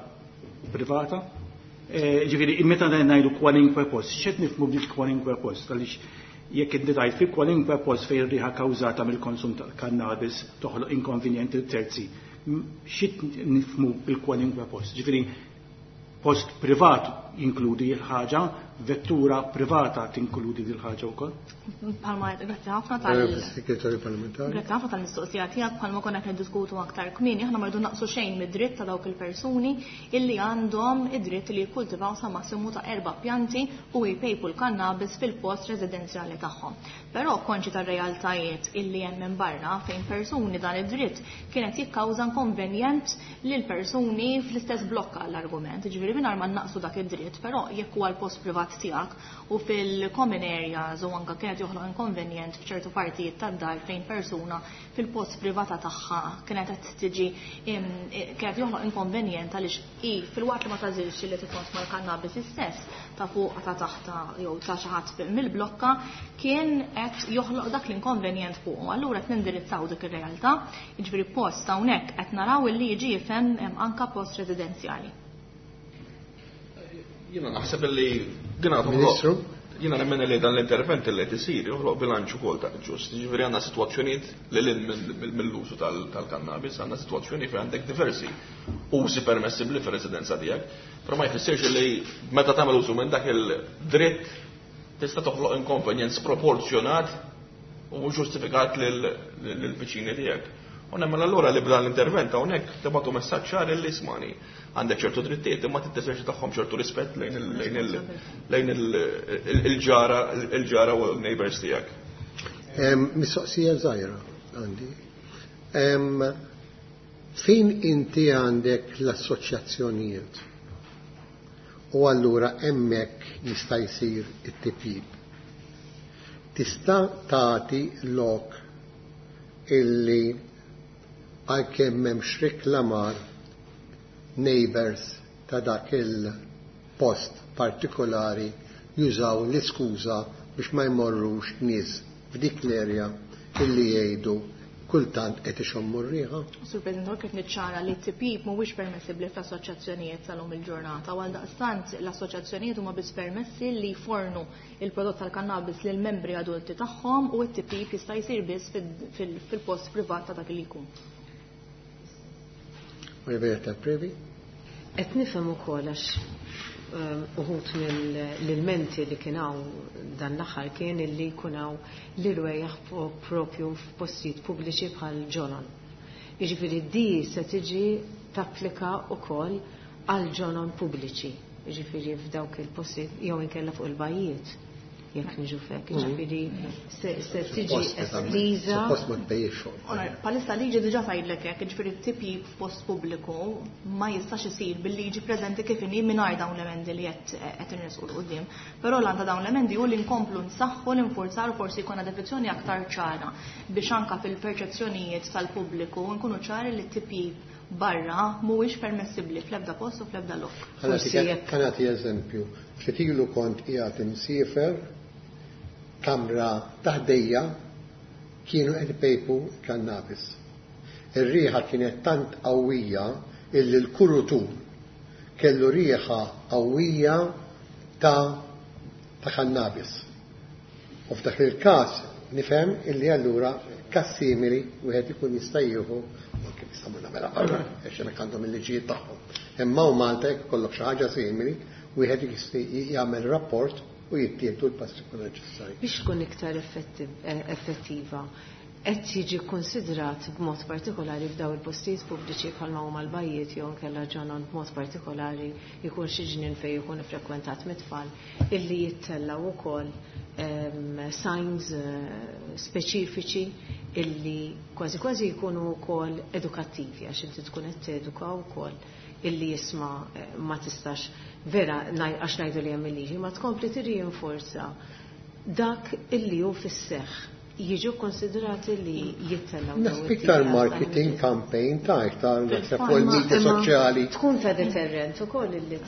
privata. Ġifieri, meta ngħidu kwalinkwe post, x'qed nifhmu bil kwalinkwe post? Għaliex jekk inti tgħid fi kwalinkwe post fejn riħa kawżata mill-konsum tal-kannabis toħloq inkonvenjent lil terzi, x'qed nifhmu bil kwalinkwe post? Ġifieri, post privat jinkludi l-ħaġa, vettura privata tinkludi din l-ħaġa wkoll? Bħalma grazzi ħafna tal- Eh, Segretarju Parlamentari. Grazzi ħafna tal-mistoqsija tiegħek, bħalma konna qed niddiskutu aktar kmieni, aħna ma rridu naqsu xejn mid-dritt ta' dawk il-persuni illi għandhom id-dritt li jikkultivaw sa massimu ta' erba' pjanti u jpejpu l-kannabis fil-post residenzjali tagħhom. Però konxi tar-realtajiet illi hemm minn barra fejn persuni dan id-dritt kienet jikkawża inkonvenjent lil persuni fl-istess blokka l-argument. Ġifieri mingħajr ma naqsu dak id-dritt, però jekk huwa l-post privat tiegħek u fil-common areas u anke kienet joħloq inkonvenjent f'ċertu partijiet tad-dar fejn persuna fil-post privata tagħha kienet qed tiġi kienet joħloq inkonvenjent għaliex hi fil-waqt li ma tażilx li tikkonsma l-kannabis istess ta' fuq ta' taħta jew ta' xi ħadd mill-blokka kien qed joħloq dak l-inkonvenjent fuqu. Allura qed nindirizzaw dik ir-realtà, jiġifieri post hawnhekk qed naraw illi jiġi jifhem anke post residenzjali. Jiena naħseb li din għadu Ministru? Jiena nemmen li dan l-intervent li qed isir joħloq bilanċ ukoll ta' ġust. Jiġifieri għandna sitwazzjonijiet li lil mill-użu tal-kannabis, għandna sitwazzjoni fejn għandek diversi użi permessibbli fir-residenza tiegħek, però ma jfissirx li meta tagħmel użu minn dak il-dritt tista' toħloq inkonvenjent sproporzjonat u mhux ġustifikat lill-viċini tiegħek. U nemmen allura li b'dan l-intervent hawnhekk tibgħatu messaġġ ċar li ismani għandek ċertu drittijiet imma titteżerċi tagħhom ċertu rispett lejn lejn il-ġara il-ġara u l-neighbors tiegħek. Mistoqsija żgħira għandi. Fejn inti għandek l-assoċjazzjonijiet u allura hemmhekk jista' jsir it-tipjib. Tista' tagħti lok illi għalkemm m'hemmx reklamar neighbors ta' dak il-post partikolari jużaw l-iskuża biex ma jmorrux nies f'dik l-erja illi jgħidu kultant qed ixommu r-riħa. Sur President, kif niċċara li t-tipjib mhuwiex permessibbli fl-assoċjazzjonijiet tal-lum il-ġurnata, u għaldaqstant l-assoċjazzjonijiet huma biss permessi li jfornu il-prodott tal-kannabis lil membri adulti tagħhom u t-tipjib jista' jsir biss fil-post privat ta' dak li jkun. Roberta Previ. Qed nifhem ukoll għax, ehm, uħud mill-ilmenti li kien hawn dan l-aħħar kien illi jkun hawn l-irwejjaħ propju f'postijiet pubbliċi bħal ġonon. Jiġifieri di se tiġi tapplika wkoll għal ġonon pubbliċi, jiġifieri f'dawk il-postijiet jew inkella fuq il-bajjiet jekk niġu fek, jiġifieri se, se tiġi Suppost, estiża. Suppost ma tbejjix fuq. Ora, palissa liġi diġà tgħidlek hekk, jiġifieri t-tipjib f'post pubbliku ma jistax isir bil-liġi preżenti kif inhi mingħajr dawn l-emendi li qed, qed inresqu 'l quddiem. Però l-għan ta' dawn l-emendi hu li nkomplu nsaħħu l-infurzar forsi jkollna definizzjoni aktar ċara biex anke fil-perċezzjonijiet tal-pubbliku nkunu ċari li t-tipjib barra mhuwiex permessibbli fl-ebda post u fl-ebda lok. Forsi jekk Ħa nagħti eżempju. Ftit ilu kont qiegħed imsiefer kamra taħdejja kienu qed ipejpu kannabis. Ir-riħa kienet tant qawwija illi l-kurutur kellu riħa qawwija ta' ta' kannabis. U f'dak il-każ nifhem illi allura każ simili wieħed ikun jista' jieħu kif jistgħu nagħmilha barra għax hemmhekk għandhom il-liġijiet tagħhom. Imma u Malta jekk ikollok xi ħaġa simili, wieħed jista' jagħmel rapport u jittieħdu l-passi kollha neċessarji. Biex tkun iktar effettiva, qed jiġi konsidrat b'mod partikolari f'daw il-postijiet pubbliċi bħalma huma l-bajjiet jew inkella ġonon b'mod partikolari jkun xi ġnien fejn jkun iffrekwentat mit-tfal illi jittellgħu wkoll signs speċifiċi illi kważi kważi jkunu wkoll edukattivi għax inti tkun qed teduka wkoll illi jisma' ma tistax vera għax ngħidu li hemm il-liġi ma tkompli tirrinforza dak illi hu fis-seħħ jiġu konsiderati li jittellgħu. Naħseb iktar marketing campaign ta' iktar naħseb fuq il-media soċjali. Tkun ta' deterrent ukoll illi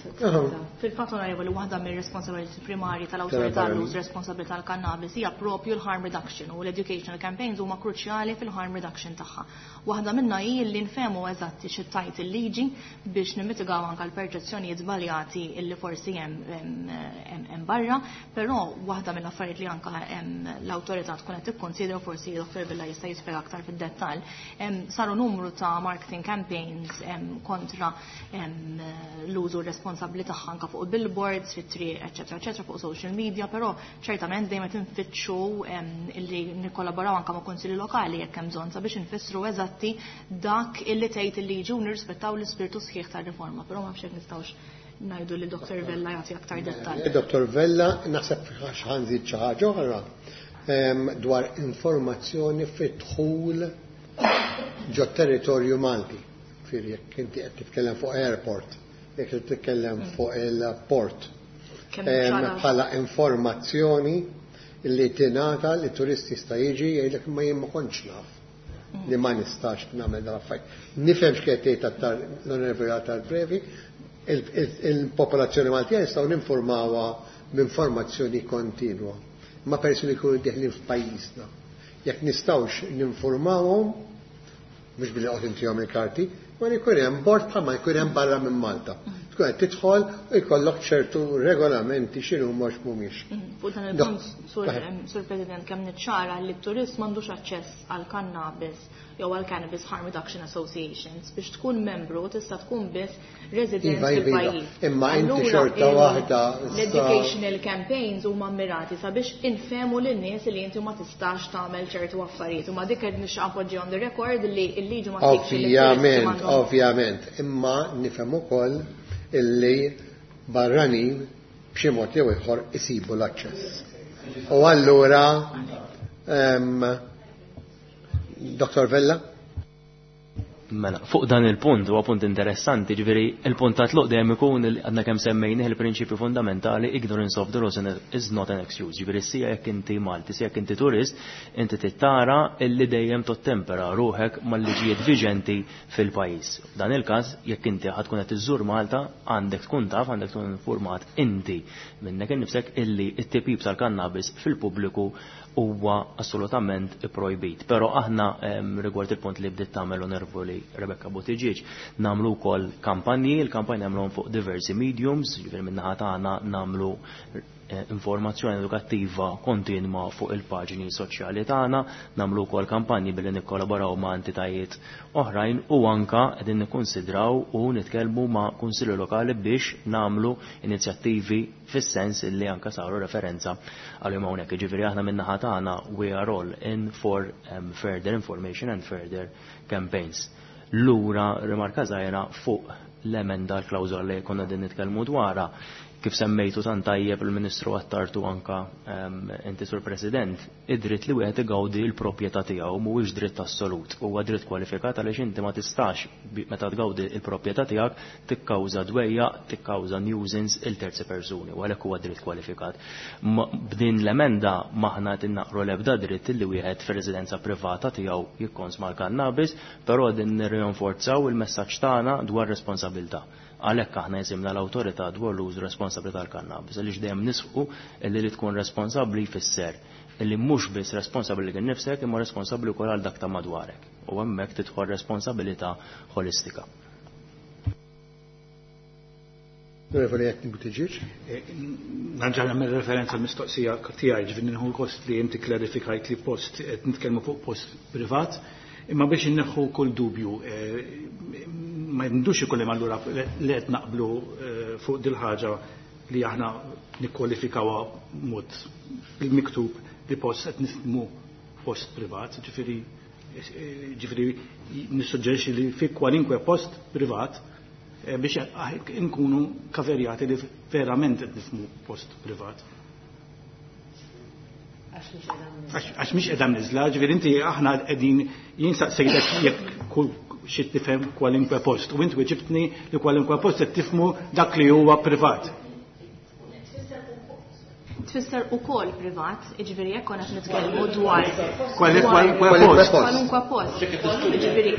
Fil-fatt, onorevoli, waħda mir-responsabilità primarji tal-awtorità l-użu responsabbli tal-kannabis hija propju l-harm reduction u l-educational campaigns huma kruċjali fil-harm reduction tagħha. Waħda minnha hi li nfehmu eżatti xi tgħid il-liġi biex nimmitigaw anke l-perċezzjonijiet żbaljati illi forsi hemm barra, però waħda mill-affarijiet li anke l-awtorità tkun qed tikkonsidra, forsi Dottor Vella jista' jispjega aktar fid-dettall, saru numru ta' marketing campaigns kontra l-użu responsabbli tagħha anke fuq billboards, fit-triq, eċetera, eċetera, fuq social media, però ċertament dejjem qed infittxu illi nikkollaboraw anke ma' kunsilli lokali jekk hemm bżonn sabiex infissru eżatti dak illi tgħid il-liġi u nirrispettaw l-ispirtu sħiħ tar-riforma, però ma nafx jekk nistgħux ngħidu li Dottor Vella jagħti aktar dettall. Dottor Vella, naħseb ħa nżid xi ħaġa oħra dwar informazzjoni fit-dħul ġo territorju Malti. Fir jekk inti qed titkellem fuq airport, jekk qed titkellem fuq il-port. Bħala informazzjoni li tingħata li turisti jista' jiġi jgħidlek ma jien ma kontx naf li ma nistax nagħmel dan affarijiet. Nifhem x'qed tgħid l-Onorevoli tal-Previ, il-popolazzjoni Maltija nistgħu ninformawha b'informazzjoni kontinwa. Ma persuni jkunu deħlin f'pajjiżna. Jekk nistgħux ninformawhom, mhux billi qed intihom il-karti, ma jkun hemm bord bħalma jkun hemm barra minn Malta. Tkun qed tidħol u jkollok ċertu regolamenti x'inhu mhux mhumiex. Fuq dan il-punt, Sur President, kemm niċċara li t-turist m'għandux aċċess għal cannabis jew għal Cannabis Harm Reduction Associations. Biex tkun membru tista' tkun biss resident fil-pajjiż. Imma inti xorta waħda. L-educational campaigns huma mirati sabiex infehmu lin-nies li inti ma tistax tagħmel ċertu affarijiet. U ma dik qed nixtieq appoġġi on the record li l-liġi ma Ovvjament, ovvjament, imma nifhem ukoll illi barranin b'xi mod jew ieħor isibu l-aċċess. U allura Dottor Vella? Mela, fuq dan il-punt, huwa punt interessanti, ġifieri il-punt ta' tluq dejjem ikun għadna kemm semmejnih il-prinċipju fundamentali ignorance of the law is not an excuse. Ġifieri sija jekk inti Malti, sija jekk inti turist, inti tittara illi dejjem tottempera ruħek mal-liġijiet viġenti fil-pajjiż. Dan il-każ jekk inti ħad tkun qed iżżur Malta, għandek tkun taf, għandek tkun informat inti minnek innifsek illi t-tipjip tal-kannabis fil-pubbliku huwa assolutament ipprojbit. Però aħna rigward il-punt li bdiet tagħmel onorevoli Rebecca Buttigieg, nagħmlu wkoll kampanji, il-kampanji nagħmluhom fuq diversi mediums, ġifieri min-naħa tagħna nagħmlu informazzjoni edukattiva kontinwa fuq il-paġni soċjali tagħna, nagħmlu wkoll kampanji billi nikkollaboraw ma' entitajiet oħrajn u anka qegħdin nikkonsidraw u nitkellmu ma' kunsilli lokali biex nagħmlu inizjattivi fis-sens illi anka saru referenza għalihom hawnhekk. Jiġifieri aħna min-naħa tagħna we are all in for um, further information and further campaigns. Lura rimarka żgħira fuq l-emenda l-klawżola li konna din nitkellmu dwarha. Kif semmejtu tant tajjeb il-Ministru Attartu anka inti Sur President, id-dritt li wieħed igawdi l-proprjetà tiegħu mhuwiex dritt assolut, huwa dritt kwalifikat għaliex inti ma tistax meta tgawdi l-proprjetà tiegħek tikkawża dwejja, tikkawża nuisance il terzi persuni, u għalhekk huwa dritt kwalifikat. B'din l-emenda maħna qed innaqru l-ebda dritt li wieħed fir-residenza privata tiegħu jikkonsma l-kannabis, però din nirrinforzaw il-messaġġ tagħna dwar responsabilità. Għalhekk aħna jisimna l-awtorità dwar l-użu responsabbli tal-kannabis, għaliex dejjem nisħu illi li tkun responsabbli jfisser illi mhux biss responsabbli lil nifsek imma responsabbli wkoll għal dak ta' madwarek. U hemmhekk tidħol responsabilità ħolistika. Onorevoli Anthony Buttigieg. Nerġa' nagħmel referenza għall-mistoqsija tiegħi, ġifieri nieħu gost li inti klarifikajt li post qed nitkellmu fuq post privat, imma biex inneħħu kull dubju, ma jindux ikun hemm allura li qed naqblu fuq dil-ħaġa li aħna nikkwalifikawha mod bil-miktub li post qed nifhmu post privat, ġifieri ġifieri nissuġġerixxi li fi kwalinkwe post privat biex nkunu kaverjati li verament qed nifhmu post privat. Għax mhix qiegħda mniżla, ġifieri inti aħna qegħdin jien saqsejtek jekk kull xi tifhem kwalinkwe post u inti weġibtni li kwalinkwe post qed tifhmu dak li huwa privat. Tfisser ukoll privat, jiġifieri jekk konna qed nitkellmu dwar kwalunkwe post. Kwalunkwe post. Jiġifieri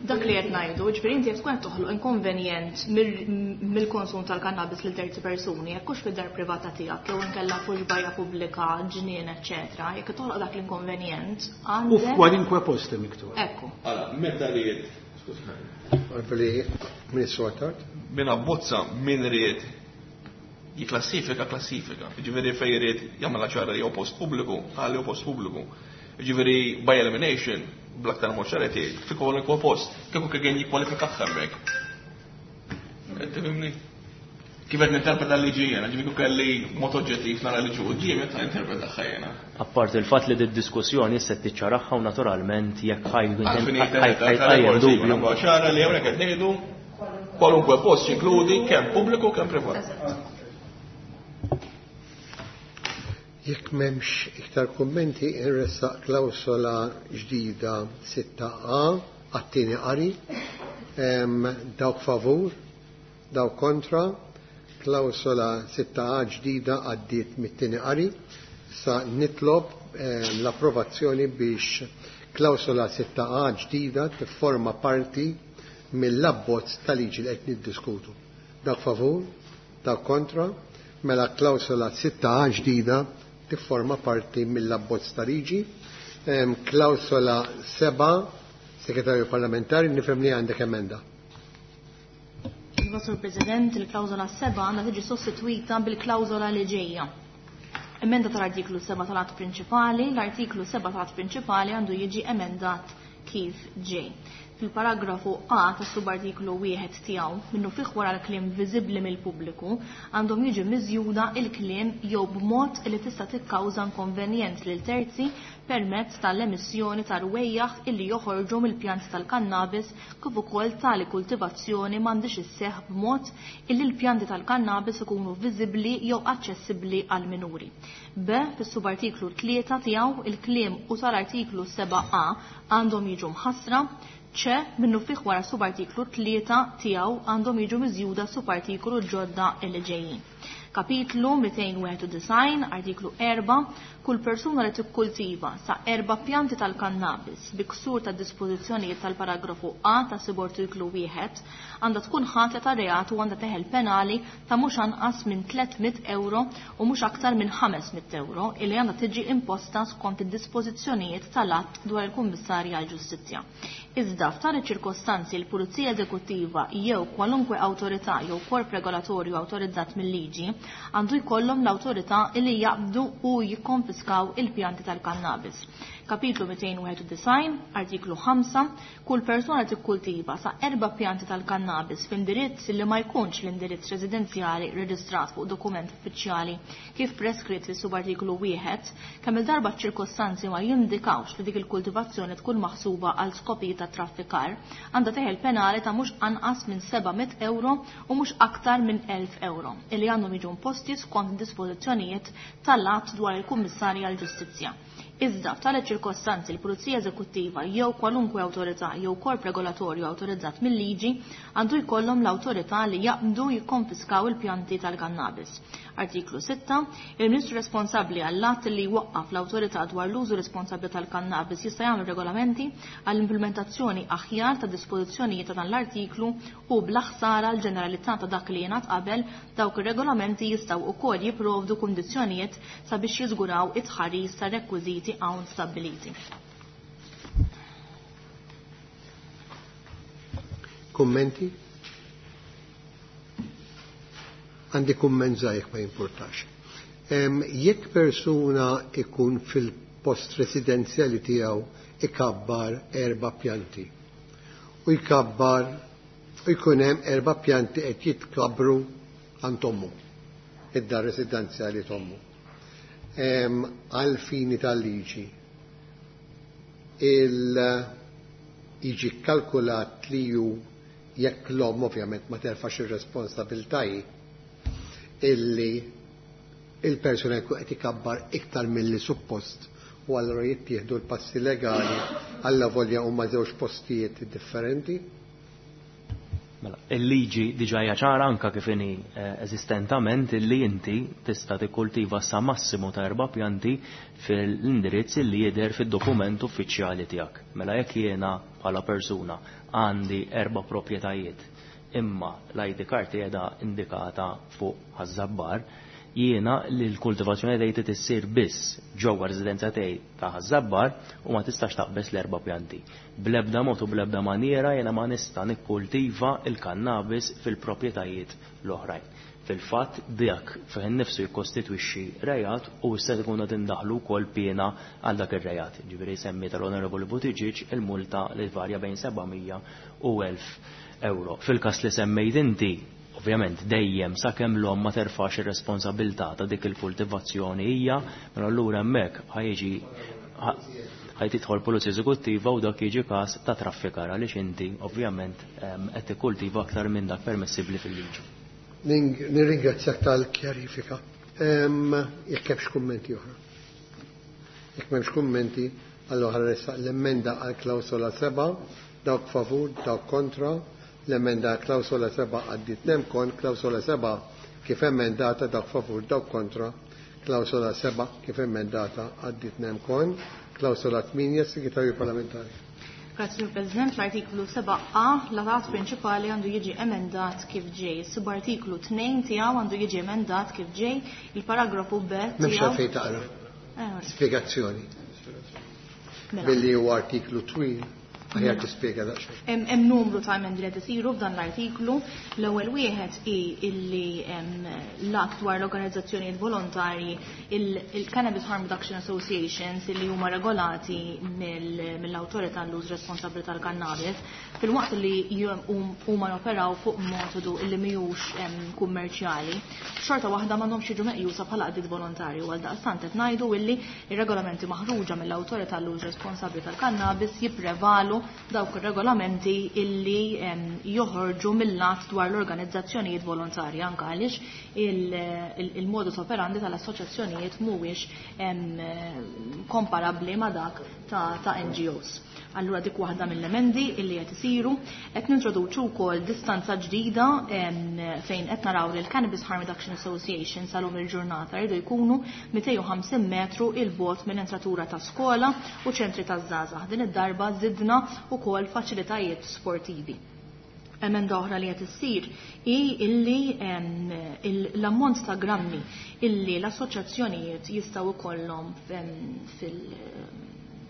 dak li qed ngħidu, jiġifieri inti qed tkun qed toħloq inkonvenjent mill-konsum tal-kannabis lil terzi persuni, jekk hux fid-dar privata tiegħek jew inkella fuq bajja pubblika, ġnien, eċċetera, jekk toħloq dak l-inkonvenjent għandek. U f'kwalinkwe post miktub. Ekku. Allora, meta ried, skużani. Ministru Attard. Min abbozza min ried jiklassifika klassifika. Ġifieri fejn irid jagħmel ċara li jew post pubbliku, għal jew post pubbliku. Ġifieri by elimination, bl-aktar mod ċara tgħid, fi kwalunkwe post, kieku kien jikkwalifika hemmhekk. Qed tifhimni? Kif qed ninterpreta l-liġi jiena, ġifieri kelli mod oġġettiv nara liġi quddiem qed ninterpreta jiena. Apparti il-fatt li d-diskussjoni issa tiċċaraħħa u naturalment jekk ħajqajjem dubju. Ċara li hawnhekk qed ngħidu kwalunkwe post jinkludi kemm pubbliku kemm privat. Jekk m'hemmx iktar kummenti, inressaq klawsola ġdida sitta A għat-tieni qari. Dawk favur, dawk kontra, klawsola sitta A ġdida għaddiet mit-tieni qari. Sa nitlob l-approvazzjoni biex klawsola sitta A ġdida tifforma parti mill-abbozz tal-liġi li qed niddiskutu. Dawk favur, dawk kontra, mela klawsola sitta A ġdida tifforma parti mill-abbozz ta' liġi. Klawsola seba', Segretarju Parlamentari, nifhem li għandek emenda. Iva, Sur President, il-klawsola seba' għandha tiġi sostituita bil-klawsola li ġejja. Emenda tal-artiklu seba' tal-att prinċipali, l-artiklu seba' tal-att prinċipali għandu jiġi emendat kif ġej. Fil-paragrafu A tas subartiklu wieħed tiegħu minnu fih wara l-kliem viżibbli mill-pubbliku għandhom jiġi miżjuda il-kliem jew b'mod li tista' tikkawża inkonvenjent lil terzi permezz tal-emissjoni ta' rwejjaħ illi joħorġu mill-pjanti tal-kannabis kif ukoll tali kultivazzjoni m'għandix isseħħ b'mod illi l-pjanti tal-kannabis ikunu viżibbli jew aċċessibbli għal minuri. B. Fis-subartiklu tlieta tiegħu il-kliem u tal-artiklu seba' A għandhom jiġu mħassra. ċe minnu fih wara subartiklu tlieta tiegħu għandhom jiġu miżjuda subartiklu ġodda li ġejjin. Kapitlu mitejn wieħed u disgħin, artiklu erba', kull persuna li tikkultiva sa erba' pjanti tal-kannabis bi ksur ta' dispożizzjonijiet tal-paragrafu A ta' subartiklu wieħed għandha tkun ħatja ta' reat u għandha teħel penali ta' mhux anqas minn tliet mitt euro u mhux aktar minn ħames mitt euro illi għandha tiġi imposta skont id-dispożizzjonijiet tal-Att dwar il-Kummissarju għall-Ġustizzja. Iżda f'tali ċirkostanzi l-Pulizija Eżekuttiva jew kwalunkwe awtorità jew korp regolatorju awtorizzat mill-liġi għandu jkollhom l-awtorità li jaqbdu u jikkonfiskaw il-pjanti tal-kannabis. Kapitlu mitejn wieħed u disgħin, artiklu ħamsa, kull persuna tikkultiva sa erba' pjanti tal-kannabis f'indirizz li ma jkunx l-indirizz residenzjali reġistrat fuq dokument uffiċjali kif preskritt fis-subartiklu wieħed, kemm il-darba ċ-ċirkostanzi ma jindikawx li dik il-kultivazzjoni tkun maħsuba għal skopijiet ta' traffikar, għandha teħel penali ta' mhux anqas minn seba' mitt euro u mhux aktar minn elf euro, illi għandhom jiġu imposti skont dispożizzjonijiet tal-Att dwar il-Kummissarju għall-Ġustizzja. Iżda f'tali ċirkostanzi l-Pulizija Eżekuttiva jew kwalunkwe awtorità jew korp regolatorju awtorizzat mill-liġi għandu jkollhom l-awtorità li jaqbdu jikkonfiskaw il-pjanti tal-kannabis. Artiklu sitta, il-Ministru responsabbli għall-att li jwaqqaf l-awtorità dwar l-użu responsabbli tal-kannabis jista' jagħmel regolamenti għall-implementazzjoni aħjar ta' dispożizzjonijiet ta' dan l-artiklu u bla ħsara l-ġeneralità ta' dak li jingħad qabel dawk ir-regolamenti jistgħu wkoll jipprovdu kundizzjonijiet sabiex jiżguraw it-tħaris ta' rekwiżiti hawn stabbiliti. Kummenti? Għandi kumment żgħir ma jimpurtax. Jekk persuna ikun fil-post residenzjali tiegħu ikabbar erba' pjanti u jkabbar u jkun hemm erba' pjanti qed jitkabru għand ommu, id-dar residenzjali t'ommu. Għal fini tal-liġi il jiġi kalkulat li ju jekk l-omm ovvjament ma terfax ir-responsabiltajiet illi il-persuna jkun qed ikabbar iktar milli suppost u allura jittieħdu l-passi legali alla volja huma żewġ postijiet differenti. Mela, il-liġi diġà hija ċara anka kif inhi eżistentament illi inti tista' tikkultiva sa massimu ta' erba' pjanti fil-indirizz illi jidher fid-dokument uffiċjali tiegħek. Mela jekk jiena bħala persuna għandi erba' proprjetajiet imma l-I D card qiegħda indikata fuq Ħaż-Żabbar, jiena li l-kultivazzjoni tiegħi tissir biss ġewwa residenza tiegħi ta' Ħaż-Żabbar u ma tistax taqbeż l-erba' pjanti. Bl-ebda mod u bl-ebda maniera jiena ma nista' nikkultiva l-kannabis fil-proprjetajiet l-oħrajn. Fil-fatt dak fih innifsu jikkostitwixxi rejat u issa tkun qed indaħlu wkoll piena għal dak ir-rejat. Ġifieri semmi tal-Onorevoli Buttigieg il-multa li tvarja bejn seba' mija u elf euro. Fil-każ li semmejt inti, ovvjament dejjem sakemm l-omm ma terfax ir-responsabilità ta' dik il-kultivazzjoni hija, mela allura hemmhekk ħajġi ħaj tidħol pulizija eżekuttiva u dak jiġi każ ta' traffikar għaliex inti ovvjament qed tikkultiva aktar minn dak permessibbli fil-liġi. Nirringrazzjak tal-kjarifika. Jekk hemmx kummenti oħra. Jekk m'hemmx kummenti, allura ħarressaq l-emenda għal klawsola seba', dawk favur, dawk kontra. L-emenda għal klawsola seba' għaddiet nemkon, klawsola seba' kif emendata dawk favur, dawk kontra. Klawsola seba' kif emendata għaddiet nemkon, klawsola tmienja, Segretarju Parlamentari. Grazie, Sur President. L-artiklu seba' A, l-att prinċipali għandu jiġi emendat kif ġej. Subartiklu tnejn tiegħu għandu jiġi emendat kif ġej. Il-paragrafu B M'hemmx tiegħu għalfejn taqra. Eh, ora. Spjegazzjoni. Mela. Billi huwa artiklu twil, aħjar tispjega daqsxejn. Hemm, hemm numru ta' emendi li qed isiru f'dan l-artiklu. L-ewwel wieħed hi illi hemm l-att dwar l-organizzazzjonijiet volontarji, il-, il-Cannabis Harm Reduction Associations illi huma regolati mill-, mill-awtorità l-uż responsabbli tal-kannabis, filwaqt li ju-, hum-, huma joperaw fuq metodu illi mhijiex, em, kummerċjali, xorta waħda m'għandhomx jiġu meqjusa bħala għaqdiet volontarji u għaldaqstant qed ngħidu illi ir-regolamenti maħruġa mill-awtorità l-uż responsabbli tal-kannabis jipprevalu dawk ir-regolamenti illi, em, joħorġu mill-att dwar l-organizzazzjonijiet volontarji, anke għaliex il-, il-, il-modus operandi tal-assoċjazzjonijiet mhuwiex, em, komparabbli ma' dak ta', ta' N G Os. Allura dik waħda mill-emendi illi qed isiru, qed nintroduċu wkoll distanza ġdida, em, fejn qed naraw li l-Cannabis Harm Reduction Association salum il-ġurnata jridu jkunu mitejn u ħamsin metru il bogħod minn entratura ta' skola u ċentri ta' żgħażagħ. Din id-darba żidna wkoll faċilitajiet sportivi. Emenda oħra li qed issir hi illi, em, il-, l-ammont ta' grammi illi l-assoċjazzjonijiet jistgħu jkollhom, em, fil-,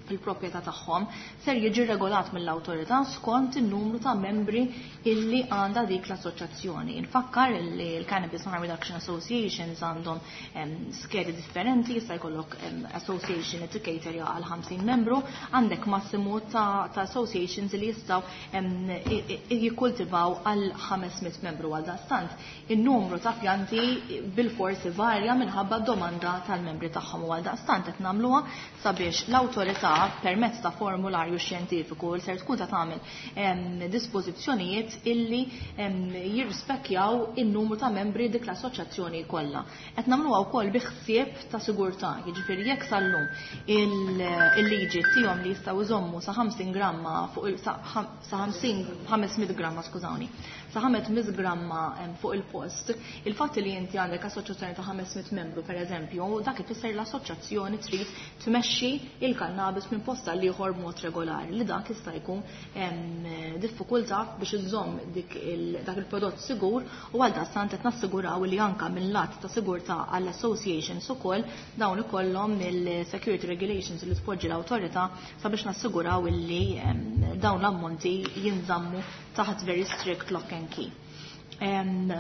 fil-proprjetà tagħhom ser jiġi regolat mill-awtorità skont in-numru ta' membri illi għandha dik l-assoċjazzjoni. Infakkar illi l-Cannabis Harm Reduction Associations għandhom, em, skedi differenti, jista' jkollok, em, association li tikkaterja għal ħamsin membru, għandek massimu ta', ta' associations li jistgħu, em, i-, i-, jikkultivaw għal ħames mitt membru. Għal dastant in-numru ta' pjanti bil-forsi varja minħabba domanda tal-membri tagħhom u għal daqstant qed nagħmluha sabiex l-awtorità permezz ta' formularju xjentifiku li ser tkun ta' tagħmel, em, dispożizzjonijiet illi, em, jirrispekjaw in-numru ta' membri dik l-assoċjazzjoni kollha. Qed nagħmluha wkoll bi ħsieb ta' sigurtà, jiġifieri jekk sal-lum il-, il-liġi tihom li jistgħu jżommu sa ħamsin gramma fuq il-, sa ħam-, sa ħamsin, ħames mitt gramma, skużawni, sa ħames mitt gramma, em, fuq il-post, il-fatt li inti għandek assoċjazzjoni ta' ħames mitt membru pereżempju, dak ifisser l-assoċjazzjoni trid tmexxi il-kannabis minn post għal ieħor b'mod regolari, li dak jista' jkun, em, diffikultà biex iżżomm dik il-, dak il-prodott sigur u għal dastant qed nassiguraw li anke minn lat ta' sigurtà għall-associations ukoll dawn ikollhom il-security regulations li tpoġġi l-awtorità sabiex nassiguraw illi, em, dawn l-ammonti jinżammu taħt very strict lock and key. Em,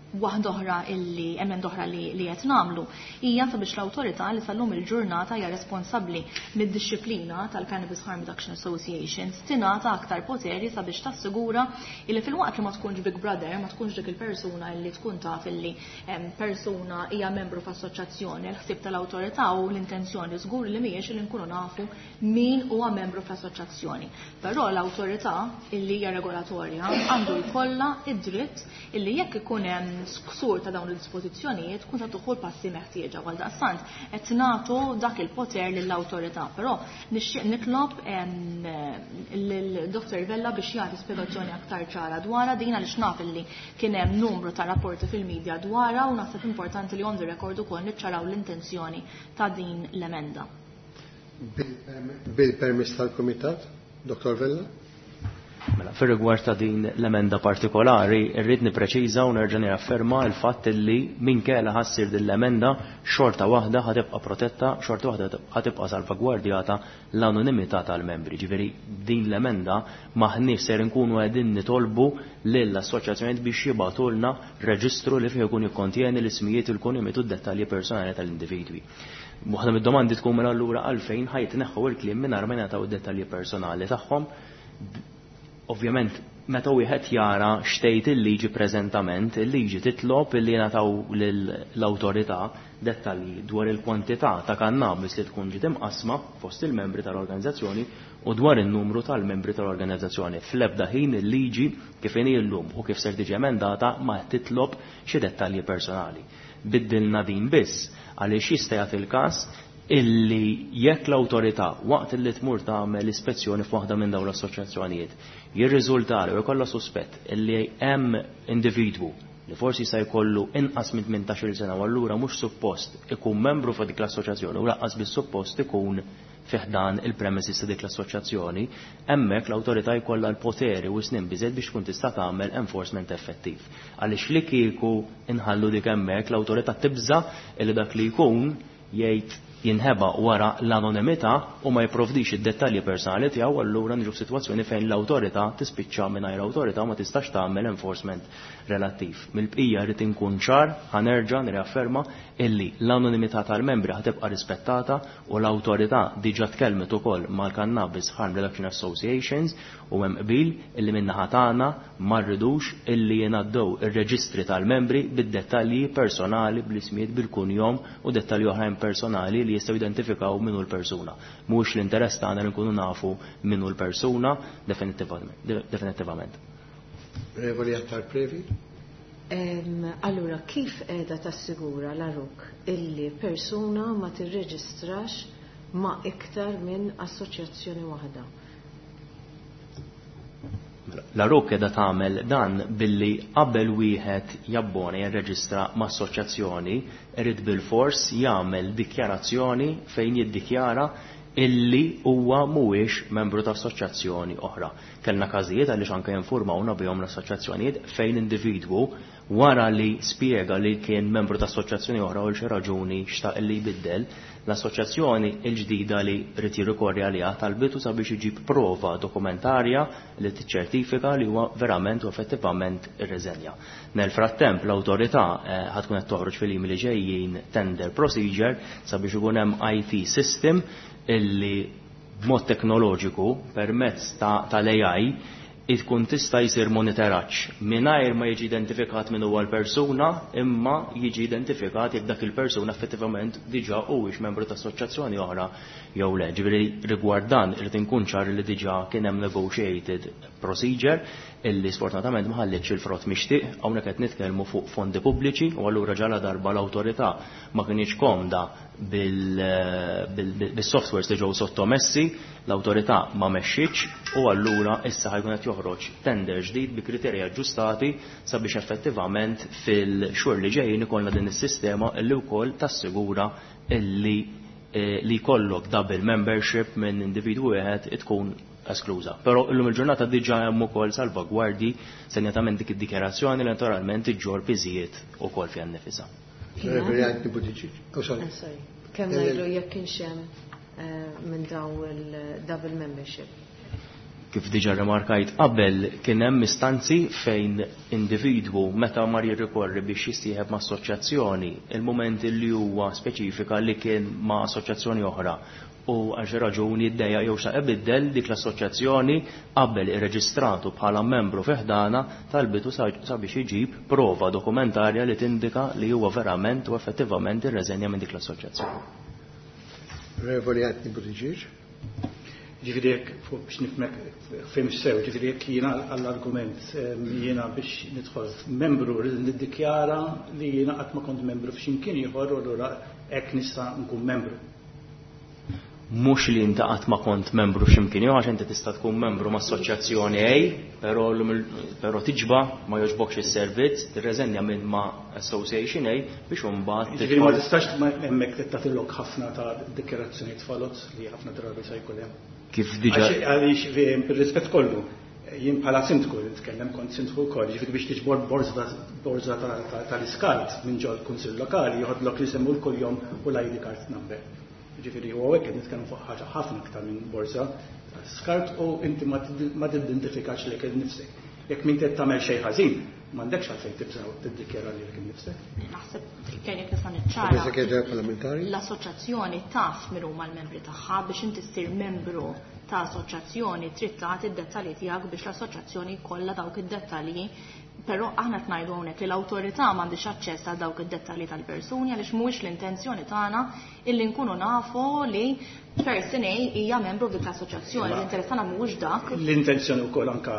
Waħda oħra illi emenda oħra li, li qed nagħmlu hija sabiex l-awtorità li sal-lum il-ġurnata hija responsabbli mid-dixxiplina tal-Cannabis Harm Reduction Associations tingħata aktar poteri sabiex tassigura illi filwaqt li ma tkunx Big Brother, ma tkunx dik il-persuna illi tkun taf illi persuna hija membru f'assoċjazzjoni, l-ħsieb tal-awtorità u l-intenzjoni żgur li mhijiex li nkunu nafu min huwa membru f'assoċjazzjoni. Però l-awtorità illi hija regolatorja għandu jkollha id-dritt illi jekk ikun hemm ksur ta' dawn il-dispożizzjonijiet tkun ta' tuħu l-passi meħtieġa. Għal daqstant qed nagħtu dak il-poter lill-awtorità, però nixtieq nitlob lil Dottor Vella biex jagħti spjegazzjoni aktar ċara dwarha din, għaliex naf illi kien hemm numru ta' rapporti fil-medja dwarha u naħseb importanti li on the record ukoll niċċaraw l-intenzjoni ta' din l-emenda. Bil-permess tal-Kumitat, Dottor Vella? Mela, fir-rigward ta' din l-emenda partikolari, irrid nippreċiża u nerġa' nirafferma l-fatt li minkejja ħassir din l-emenda xorta waħda ħatibqa' protetta, xorta waħda ħatibqa' salvagwardjata l-anonimità tal-membri. Ġifieri din l-emenda maħniex ser inkunu qegħdin nitolbu lill-assoċjazzjonijiet biex jibgħatulna reġistru li fih ikun jikkontjeni l-ismijiet, il-kunjom u d-dettalji personali tal-individwi. Waħda mid-domandi tkun mela allura għalfejn ħajtneħħu il-kliem mingħajr ma jingħataw id-dettalji personali tagħhom. Ovvjament, meta wieħed jara xtejt il-liġi preżentament, il-liġi titlob illi jingħataw lill-awtorità dettalji dwar il-kwantità ta' kannabis li tkun ġiet imqasma fost il-membri tal-organizzazzjoni u dwar in-numru tal-membri tal-organizzazzjoni. Fl-ebda ħin il-liġi kif inhi llum u kif ser tiġi emendata ma titlob xi dettalji personali. Biddilna din biss għaliex jista' jagħti il-każ illi jekk l-awtorità waqt illi tmur tagħmel ispezzjoni f'waħda minn dawn l-assoċjazzjonijiet jirriżulta u jkollha suspett illi hemm individwu li forsi se jkollu inqas minn tmintax-il sena u allura mhux suppost ikun membru fa' dik l-assoċjazzjoni u lanqas biss suppost ikun fi ħdan il-premises ta' dik l-assoċjazzjoni, hemmhekk l-awtorità jkollha l-poteri u snin biżejjed biex tkun tista' tagħmel enforcement effettiv. Għaliex li kieku inħallu dik hemmhekk l-awtorità tibża' illi dak li jkun jgħid jinħeba wara l-anonimità u ma jipprovdix id-dettalji personali tiegħu, allura niġu f'sitwazzjoni fejn l-awtorità tispiċċa mingħajr awtorità u ma tistax tagħmel enforcement relattiv. Mill-bqija rrid inkun ċar, ħanerġa' nirriafferma illi l-anonimità tal-membri ħatibqa' rispettata u l-awtorità diġà tkellmet ukoll mal-Cannabis Harm Reduction Associations u hemm qbil illi min-naħa tagħna ma rridux illi jingħaddew ir-reġistri tal-membri bid-dettalji personali, bl-ismijiet, bil-kunjom u dettalji oħrajn personali li jistgħu jidentifikaw min hu l-persuna. Mhux l-interess tagħna li nkunu nafu min hu l-persuna definittivament. Revoli Attard Previ? Allura, kif qiegħda tassigura l-A R U C illi persuna ma tirreġistrax ma' iktar minn assoċjazzjoni waħda? L-A R U C qiegħda tagħmel dan billi qabel wieħed jabbona jirreġistra ma' assoċjazzjoni irid bilfors jagħmel dikjarazzjoni fejn jiddikjara illi huwa mhuwiex membru ta' assoċjazzjoni oħra. Kellna każijiet għaliex anke jinformawna bihom l-assoċjazzjonijiet fejn individwu wara li spjega li kien membru ta' assoċjazzjoni oħra u xi raġuni xtaq li jbiddel, l-assoċjazzjoni l-ġdida li rrid jirrikorri għaliha talbitu sabiex iġib prova dokumentarja li tiċċertifika li huwa verament u effettivament irreżenja. Nel frattemp l-awtorità ħatkun qed toħroġ fil-jiem li ġejjin tender procedure sabiex ikun hemm I T system illi b'mod teknoloġiku permezz tal-A I tkun tista' jsir monitoraġġ mingħajr ma jiġi identifikat min huwa l-persuna, imma jiġi identifikat jekk dak il-persuna effettivament diġà huwiex membru ta' assoċjazzjoni oħra jew le. Ġifieri rigward dan irid inkun ċar li diġà kien hemm negotiated procedure illi sfortunatament ma ħallitx il-frott mixtieq. Hawnhekk qed nitkellmu fuq fondi pubbliċi u allura ġala darba l-awtorità ma kinitx komda bil-softwares li ġew sottomessi, l-awtorità ma mexxitx u allura issa ħajkun qed joħroġ tender ġdid bi kriterji aġġustati sabiex effettivament fil-xhur li ġejjin ikollna din is-sistema illi wkoll tassigura illi li jkollok double membership minn individwu wieħed tkun eskluża. Però illum il-ġurnata diġà hemm ukoll salvagwardji, senjatament dik id-dikjarazzjoni li naturalment iġġorr piżijiet ukoll fiha nnifisha. Reverend Buttigieg. Oh, sorry. Ah, sorry. Kemm ngħidu jekk kienx hemm minn daw il-double membership? Kif diġa remarkajt qabel, kien hemm istanzi fejn individwu meta mar jirrikorri biex jissieħeb ma' assoċjazzjoni, il-moment li huwa speċifika li kien ma' assoċjazzjoni oħra u għal xi raġuni ddejjaq jew xtaq ibiddel dik l-assoċjazzjoni, qabel irreġistratu bħala membru fi ħdana talbitu sabiex iġib prova dokumentarja li tindika li huwa verament u effettivament irreżenja minn dik l-assoċjazzjoni. Onorevoli Anthony Buttigieg. Ġifieri jekk fuq biex nifhmek fim sew, ġifieri jekk jiena għall-argument jiena biex nidħol membru rrid niddikjara li jiena qatt ma kont membru f'ximkien ieħor u allura hekk nista' nkun membru. Mhux li inti qatt ma kont membru f'ximkien ieħor, għax inti tista' tkun membru ma' assoċjazzjoni A, però però tiġba ma jogħġbokx is-servizz, tirreżenja minn ma' Association A biex imbagħad. Ġifieri ma tistax hemmhekk tagħtilok ħafna ta' dikjarazzjonijiet falots li ħafna drabi se jkun hemm. Kif diġà Għaliex bir-rispett kollu, jien bħala sindku nitkellem, kont sindku wkoll, ġifieri biex tiġbor borża tal-iskart minn ġol kunsill lokali joħodlok li semmu l-kuljom u l-I D card number. Ġifieri u hawnhekk qed nitkellmu fuq ħaġa ħafna aktar minn borża tal-iskart u inti ma tidentifikax lilek innifsek. Jekk min qed tagħmel xejn ħażin, m'għandekx għalfejn tibża' tiddikjara lilek innifsek. Naħseb kien jekk nista' niċċara. L-assoċjazzjoni taf min huma l-membri tagħha. Biex inti ssir membru ta' assoċjazzjoni trid tagħti id-dettalji tiegħek biex l-assoċjazzjoni jkollha dawk id-dettalji, però aħna qed ngħidu hawnhekk li l-awtorità m'għandix aċċess għal dawk id-dettalji tal-persuni għaliex mhuwiex l-intenzjoni tagħna illi nkunu nafu li person A hija membru f'dik l-assoċjazzjoni. L-interess tagħna mhuwiex dak. L-intenzjoni wkoll anka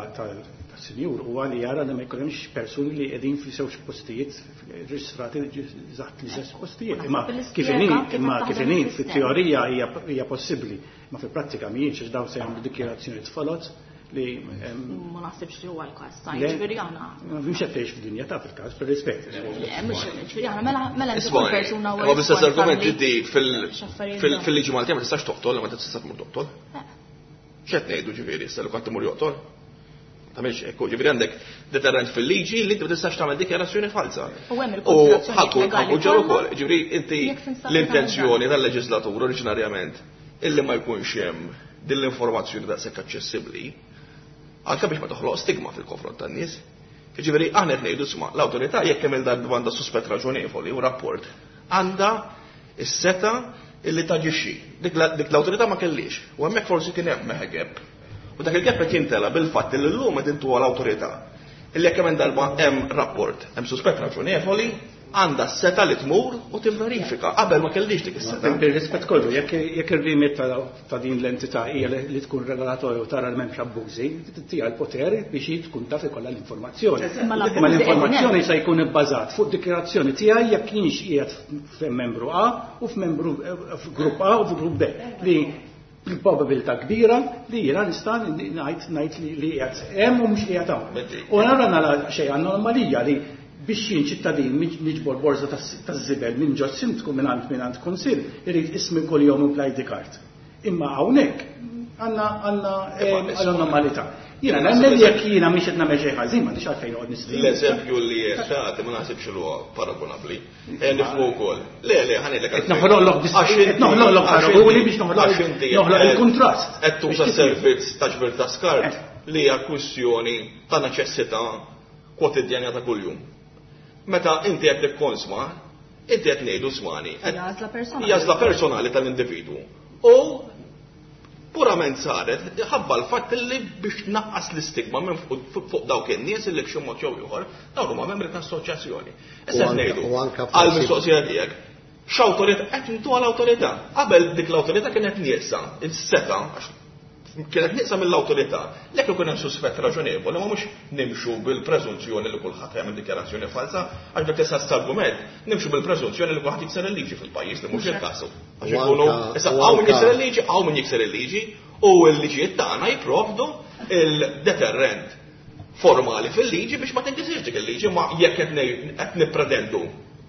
tas-sinjur huwa li jara li ma jkunhemmx persuni li qegħdin fi żewġ postijiet reġistrati eżatt l-istess postijiet. Imma kif inhi, imma kif inhi fit-teorija hija possibbli, ma fil-prattika mhijiex, għax dawn se jagħmlu dikjarazzjonijiet folots li Ma naħsibx li huwa l-każ. Ġifieri aħna. Mhux qed tgħix fid-dinja ta' fil-każ, per-rispett. Mhux ġifieri aħna mela mela kull persuna huwa. Ma bl-istess argument inti fil-liġi Maltija ma tistax toqtol, ma tistax tmur toqtol. X'qed ngħidu ġifieri issa li qatt imur joqtol? Tagħmilx hekk, ġifieri għandek deterrent fil-liġi li inti ma tistax tagħmel dikjarazzjoni falsa. U hemm il-konsiderazzjoni legali ġew ukoll, ġifieri inti l-intenzjoni tal-leġislatur oriġinarjament illi ma jkunx hemm din l-informazzjoni daqshekk aċċessibbli anke biex ma toħloq stigma fil-konfront tan-nies. Ġifieri aħna qed ngħidu sma l-awtorità jekk hemm il-darba għandha suspett raġonevoli u rapport għandha is-seta illi taġixxi. Dik l-awtorità ma kellix. U hemmhekk forsi kien hemm gap. U dak il-gap qed jintela bil-fatt li llum qed intuha l-awtorità illi jekk hemm darba hemm rapport, hemm suspett raġonevoli, għandha s-seta li tmur u tivverifika. Qabel ma kellix dik is-seta. Bir-rispett kollu, jekk ir-remit ta' din l-entità hija li tkun regolatorju tara li m'hemmx abbużi, tija l-poter biex hi tkun taf ikollha l-informazzjoni. Imma Ma l-informazzjoni se jkun ibbażat fuq dikjarazzjoni tiegħi jekk kienx qiegħed f'membru A u f'membru f'grupp A u f'grupp B li bil-probabilità kbira li jiena nista' ngħid ngħid li qiegħed hemm u mhux qiegħed hawn. U nara nara xejn anomalija li biex jien ċittadin niġbor borża taż-żibel minn ġo sindku minn għand minn għand kunsill irid ismi kuljum u bl-I D card. Imma hawnhekk għandna għandna anomalità. Jiena nemmen li jekk jiena mhix qed nagħmel xejn ħażin m'għandix għalfejn noqgħod nistrieħ. L-eżempju li qed tagħti ma naħsibx li huwa paragonabbli. Eh, nifhmu wkoll. Le, le, ħa ngħidlek Qed noħloqlok qed noħloqlok paragoni biex noħloq noħloq il-kuntrast. Qed tuża servizz ta' ġbir ta' skart li hija kwistjoni ta' neċessità kwotidjana ta' kuljum. Meta inti qed tikkonsma, inti qed ngħidu smani. Għażla personali. Għażla personali tal-individwu. U purament saret ħabba l-fatt li biex naqqas l-istigma minn fuq dawk in-nies li b'xi mod jew ieħor dawk huma membri ta' assoċjazzjoni. Issa U anka- ngħidu u anka għal forsi- mistoqsija tiegħek. X'awtorità qed intu għal awtorità? Qabel dik l-awtorità kienet nieqsa, il-seta, għax kienet nieqsa mill-awtorità. Lek ikun hemm suspett raġonevoli, ma mhux nimxu bil-preżunzjoni li kulħadd jagħmel dikjarazzjoni falsa, għax dak istess argument nimxu bil-preżunzjoni li kulħadd jikser il-liġi fil-pajjiż li mhux il-każ. Għax U ikunu anka- issa u hawn min anka- jikser il-liġi, hawn min jikser il-liġi, u l-liġijiet tagħna jipprovdu il-deterrent formali fil-liġi biex ma tinkisirx dik il-liġi, ma jekk qed ngħid- qed nippretendu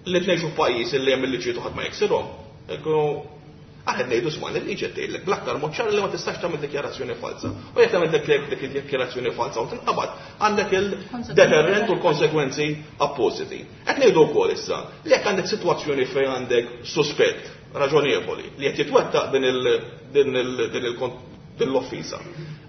li tnejxu f'pajjiż li hemm il-liġijiet u ħadd ma jiksirhom. Ikunu aħna ngħidu sma' il-liġi qed tgħidlek bl-aktar mod ċar li ma tistax tagħmel dikjarazzjoni falsa. U jekk tagħmel dik dik id-dikjarazzjoni falsa u tinqabad, għandek il-deterrent u l-konsekwenzi appositi. Qed ngħidu wkoll issa li jekk għandek sitwazzjoni fejn għandek suspett raġonevoli li qed jitwettaq din il din il din il Dil-offiża.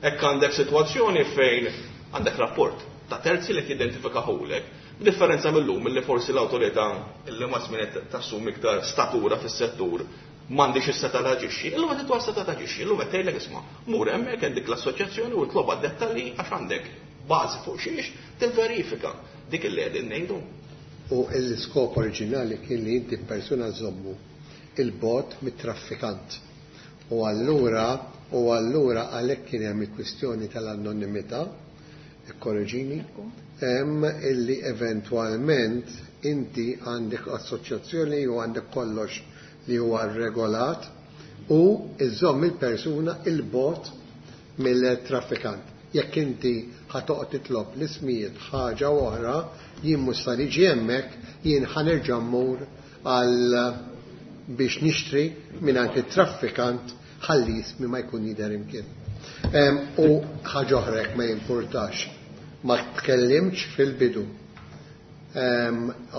Hekk għandek sitwazzjoni fejn għandek rapport ta' terzi li jidentifikahulek. B'differenza mill-lum li forsi l-awtorità illi ma żmien tassum iktar statura fis-settur m'għandix is-seta taġixxi, illum qed titwa seta taġixxi, illum qed tgħidlek isma' mur hemmhekk għandek l-assoċjazzjoni u tloba dettalji għax għandek bażi fuq xiex tivverifika dik illi qegħdin ngħidu. U l-iskop oriġinali kien li inti persuna żommu il-bot mit-traffikant. U allura u allura għalhekk kien hemm il-kwistjoni tal-anonimità, ikkorreġini, hemm illi eventwalment inti għandek assoċjazzjoni u għandek kollox li huwa regolat u iżomm il-persuna il-bot mill-traffikant. Jekk inti ħatoqgħod titlob l-ismijiet ħaġa oħra, jien mhux sa niġi hemmhekk, jien ħanerġa' mmur għal biex nixtri mingħand it-traffikant ħalli ismi ma jkun jidher imkien. U ħaġa oħra jekk ma jimpurtax, ma tkellimx fil-bidu.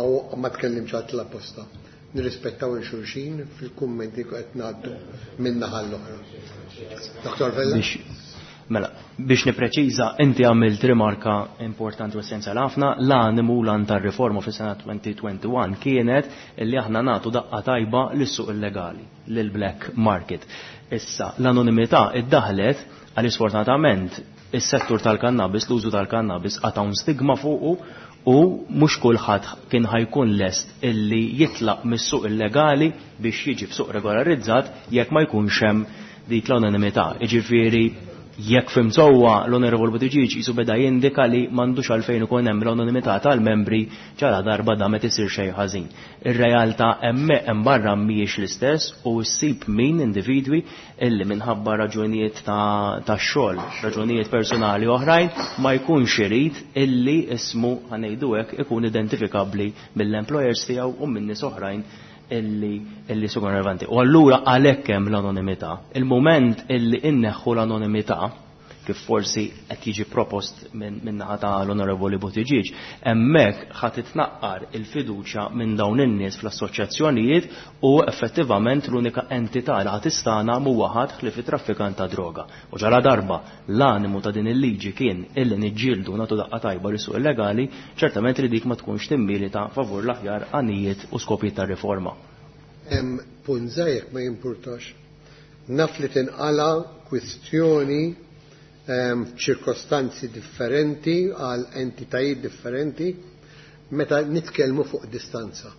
U ma tkellimx għat l-apposta. Nirrispettaw il-xulxin fil-kummenti qed ngħaddu minn naħa l-oħra. Doktor Vella? Mela, biex nipreċiża, inti għamilt rimarka importanti u essenzjali ħafna, l-animu l tar-riforma fis-sena elfejn u wieħed u għoxrin kienet li aħna nagħtu daqqa tajba lis-suq illegali, lil-black market. Issa, l-anonimità iddaħlet għal sfortunatament is-settur tal-kannabis, l-użu tal-kannabis għatawn stigma fuqu u mhux kulħadd kien ħajkun lest illi jitlaq mis-suq illegali biex jiġi f'suq regolarizzat jekk ma jkunx hemm dik l-anonimità. Jiġifieri jekk fim sewwa l-Onorevol Buttigieg jisu beda jindika li m'għandux għalfejn ikun hemm l-anonimità tal-membri ġara darba da meta isir xejn ħażin. Ir-realtà hemm hemm barra mhijiex l-istess u ssib min individwi illi minħabba raġunijiet ta' xogħol, raġunijiet personali oħrajn ma jkunx irid illi ismu ħanejdu hekk ikun identifikabbli mill-employers tiegħu u minn nies oħrajn illi illi sukun relevanti. U allura għalhekk hemm l-anonimità. Il-moment illi inneħħu l-anonimità, kif forsi qed jiġi propost minn naħa ta' l-Onorevoli Buttigieg, hemmhekk ħadd titnaqqar il-fiduċja minn dawn in-nies fl-assoċjazzjonijiet u effettivament l-unika entità li ħadd istana mhuwa ħadd ħlief it-traffikant ta' droga. U ġara darba l-animu ta' din il-liġi kien illi niġġieldu nagħtu daqqa tajba lis suq illegali, ċertament li dik ma tkunx timmilita favur l-aħjar għanijiet u skopijiet tar-riforma. Hemm punt żgħir ma jimpurtax. Naf li tinqala kwistjoni ċirkostanzi differenti għal entitajiet differenti meta nitkellmu fuq distanza.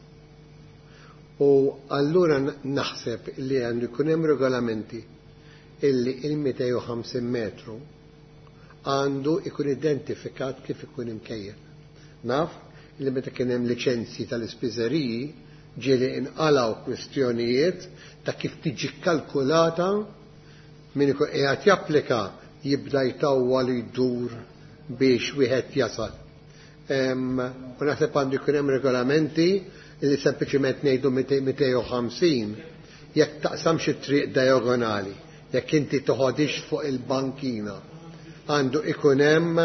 U allura naħseb li għandu jkun hemm regolamenti illi il-mitejn u ħamsin metru għandu jkun identifikat kif ikun imkejjel. Naf li meta kien hemm liċenzji tal-ispiżeriji ġieli inqalgħu kwistjonijiet ta' kif tiġi kkalkulata min ikun qiegħed japplika jibda jtawwal jdur biex wieħed jasal. U naħseb għandu jkun hemm regolamenti li sempliċiment ngħidu mitejn u ħamsin jekk taqsamx it-triq diagonali, jekk inti toħodix fuq il-bankina. Għandu ikun hemm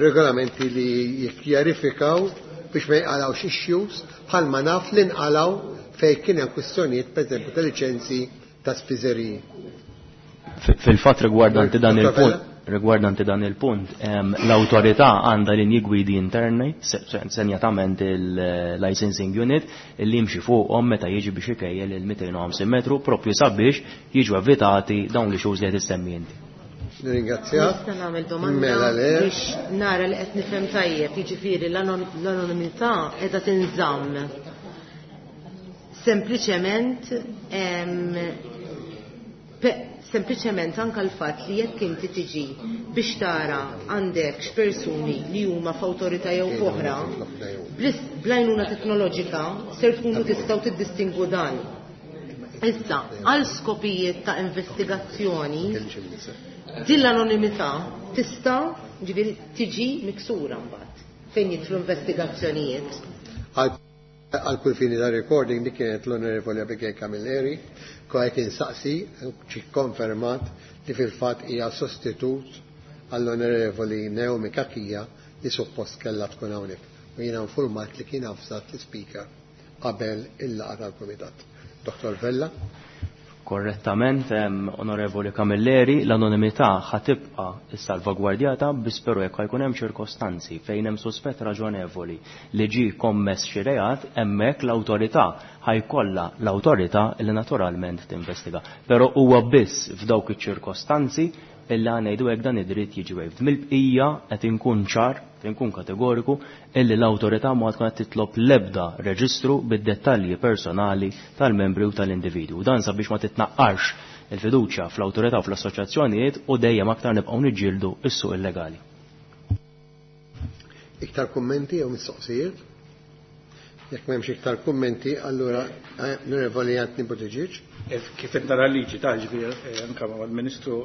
regolamenti li jikkjarifikaw biex ma jqalgħux issues bħalma naf li nqalgħu fejn kien hemm kwistjonijiet pereżempju ta' liċenzji ta' spiżeriji. Fil-fatt rigwardanti dan il-punt, rigwardanti dan il-punt, l-awtorità għandha linji gwidi interni, senjatament il-licensing unit, li jimxi fuqhom meta jiġi biex ikejjel il-mitejn u ħamsin metru propju sabiex jiġu evitati dawn li issues li qed issemmi inti. Nirringrazzjak. Nista' nagħmel domanda biex nara li qed nifhem tajjeb, jiġifieri l-anonimità qiegħda tinżamm. Sempliċement Sempliċement anka l-fatt li jekk inti tiġi biex tara għandek x'persuni li huma f'awtorità jew oħra, bl-għajnuna teknoloġika ser tkunu tistgħu tiddistingwu dan. Issa, għal skopijiet ta' investigazzjoni, din l-anonimità tista' ġifieri tiġi miksura mbagħad fejn jidħlu investigazzjonijiet. Għal kull fini ta' recording dik kienet l-Onorevoli Abigail Camilleri, kwa kien saqsi ġi konfermat li fil-fatt hija sostitut għall-Onorevoli Naomi Cachia li suppost kellha tkun hawnhekk. U jiena informat li kien avżat l-Speaker qabel il-laqgħa tal-Kumitat. Doktor Vella. Korrettament, Onorevoli Camilleri, l-anonimità ħatibqa salvagwardjata biss però jekk jkun hemm ċirkostanzi fejn hemm suspett raġonevoli li ġie kommess xi reat, hemmhekk l-awtorità ħajkollha l-awtorità li naturalment tinvestiga. Però huwa biss f'dawk iċ-ċirkostanzi illi ngħidu hekk dan id-dritt jiġi waived. Mill-bqija qed inkun ċar, qed inkun kategoriku illi l-awtorità ma tkun qed titlob l-ebda reġistru bid-dettalji personali tal-membri u tal-individwu. Dan sabiex ma titnaqqarx il-fiduċja fl-awtorità u fl-assoċjazzjonijiet u dejjem aktar nibqgħu niġġieldu s-suq illegali. Iktar kummenti jew mistoqsijiet? Jekk m'hemmx iktar kummenti, allura Onorevoli Anthony Buttigieg. Kif qed nara l-liġi ta' ġifieri anke mal-Ministru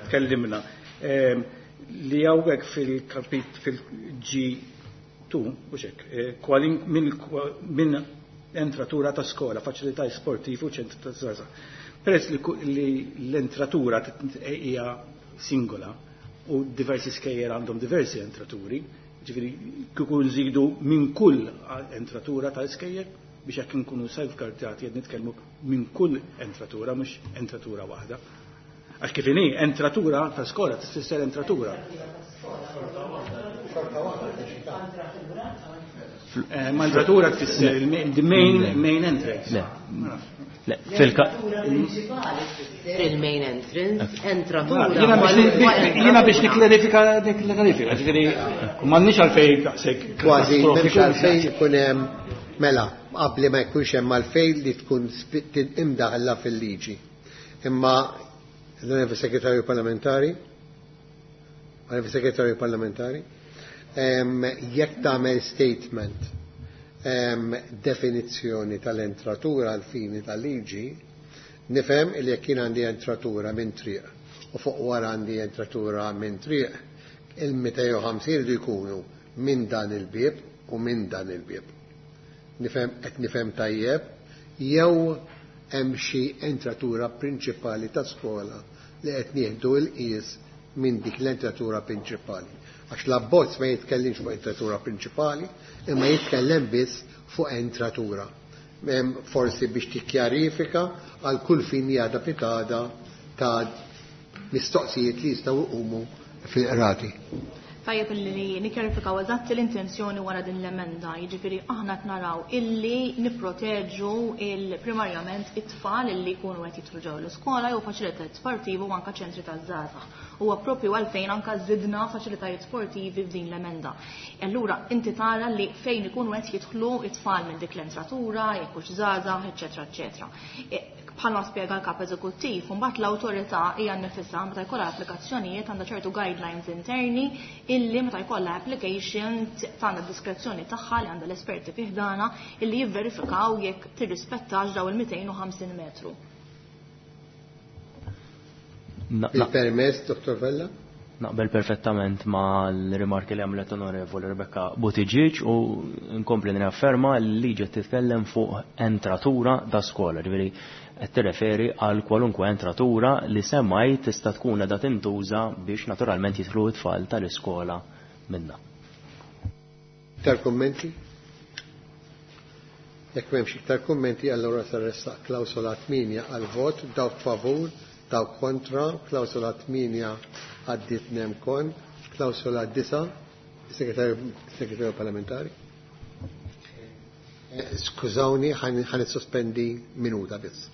tkellimna li hawnhekk fil-kapit fil-G two mhux hekk, minn entratura ta' skola, faċilitajiet sportivi u ċentru ta' żgħażagħ. Peress li l-entratura hija singola u diversi skejjer għandhom diversi entraturi, ġifieri kieku nżidu minn kull entratura ta' skejjer biex hekk inkunu safeguardjati qed nitkellmu minn kull entratura mhux entratura waħda. Għax kif inhi entratura ta' skola tfisser entratura. Ma entratura tfisser the main main entrance. Le. Le, fil-ka L-entratura prinċipali tfisser il-main entrance, entratura. Jiena biex nikklarifika nikklarifika, ġifieri m'għandniex għalfejn daqshekk. Kważi m'hemmx għalfejn ikun hemm mela qabli ma jkunx hemm għalfejn li tkun imdaħla fil-liġi. Imma l-Onorevoli Segretarju Parlamentari, Onorevoli Segretarju Parlamentari, jekk tagħmel statement definizzjoni tal-entratura għal fini tal-liġi, nifhem li jekk jien għandi entratura minn triq u fuq wara għandi entratura minn triq, il-mitejn u ħamsin jridu jkunu minn dan il-bieb u minn dan il-bieb. Nifhem qed nifhem tajjeb, jew hemm xi entratura prinċipali ta' skola li qed nieħdu l-qies minn dik l-entratura prinċipali. Għax l-abbozz ma jitkellimx fuq entratura prinċipali, imma jitkellem biss fuq entratura. Forsi biex tikkjarifika għal kull fin jgħada pitada ta' mistoqsijiet li jistgħu jqumu fil-qrati. Tajjeb li nikkjarifikaw eżatt l-intenzjoni wara din l-emenda, jiġifieri aħna qed naraw illi nipproteġu il-primarjament it-tfal illi jkunu qed jidħlu ġew l-iskola jew faċilitajiet sportivi u anke ċentri taż-żgħażagħ. Huwa proprju għalfejn anke żidna faċilitajiet sportivi f'din l-emenda. Allura inti tara li fejn ikunu qed jidħlu it-tfal minn dik l-entratura, jekk hux żgħażagħ, eċetera, eċetera. Bħalma spjega l-kap eżekuttiv, mbagħad l-awtorità hija nnifisha meta jkollha applikazzjonijiet għandha ċertu guidelines interni illi meta jkollha application tagħna diskrezzjoni tagħha li għandha l-esperti fih dana illi jivverifikaw jekk tirrispettax daw il-mitejn u ħamsin metru. Il-permess, Dottor Vella? Naqbel perfettament ma l-rimarki li għamlet Onorevoli Rebecca Buttigieg u nkompli nirafferma li liġi titkellem fuq entratura da skola, ġifieri qed tirreferi għal kwalunkwe entratura li semmaj tista' tkun qiegħda tintuża biex naturalment jidħlu t-tfal tal-iskola minna. Iktar kummenti? Jekk m'hemmx iktar kummenti, allura se ressaq klawsola tmienja għal vot, dawk favur, dawk kontra, klawsola tmienja għaddiet nemkon, klawsola disa, segretarju parlamentari. Skużawni, ħan sospendi minuta biss.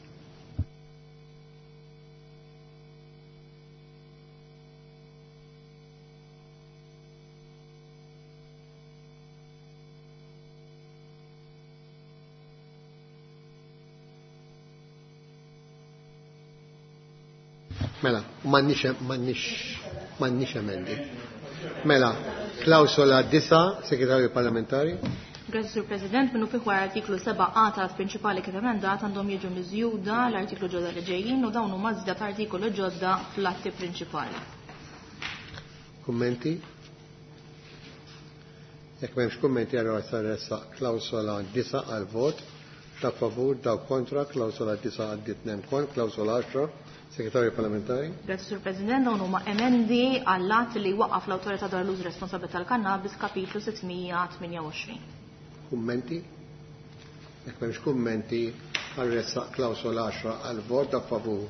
Mela, m'għandniex emendi. Mela, klawsola disa, segretarju parlamentari. Grazie, Sur President. Minnu fih wara artiklu seba' A tal-att prinċipali kif emendat għandhom jiġu miżjuda l-artiklu ġodda li ġejjin u dawn huma żieda ta' artikolu ġodda fl-atti prinċipali. Kummenti? Jekk m'hemmx kummenti, allura se nressaq klawsola disa għal vot. Ta' favur, daw kontra, klawsola disa għaddiet nemkon, klawsola għaxra. Segretarju parlamentari. Grazie, Sur President. Dawn huma emendi għall-att li waqqaf l-Awtorità dwar l-użu responsabbli tal-kannabis kapitlu sittmija tmienja u għoxrin. Kummenti? Jekk m'hemmx kummenti, Ħa nressaq klawsola għaxra għal vot, dak favur,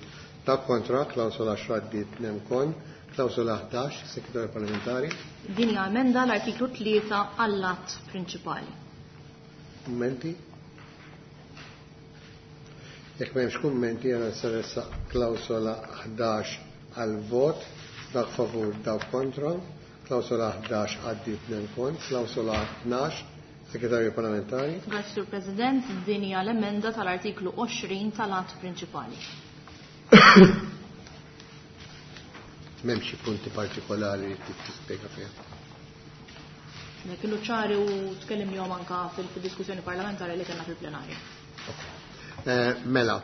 dak kontra, klawsola għaxra għaddiet nemkon, klawsola ħdax, Segretarju Parlamentari. Din hija emenda l-artiklu tlieta għall-att prinċipali. Kummenti? Jekk m'hemmx kummenti, jiena se nressaq klawsola ħdax għal vot, dak favur, dak kontra, klawsola ħdax għaddiet nemkon, klawsola tnax, Segretarju Parlamentari. Grazzi, Sur President, din hija l-emenda tal-artiklu għoxrin tal-att prinċipali. M'hemm xi punti partikolari li trid tispjega fiha. Kienu ċari u tkellimnihom anka fil-diskussjoni parlamentari li kellna fil-plenarja. Mela,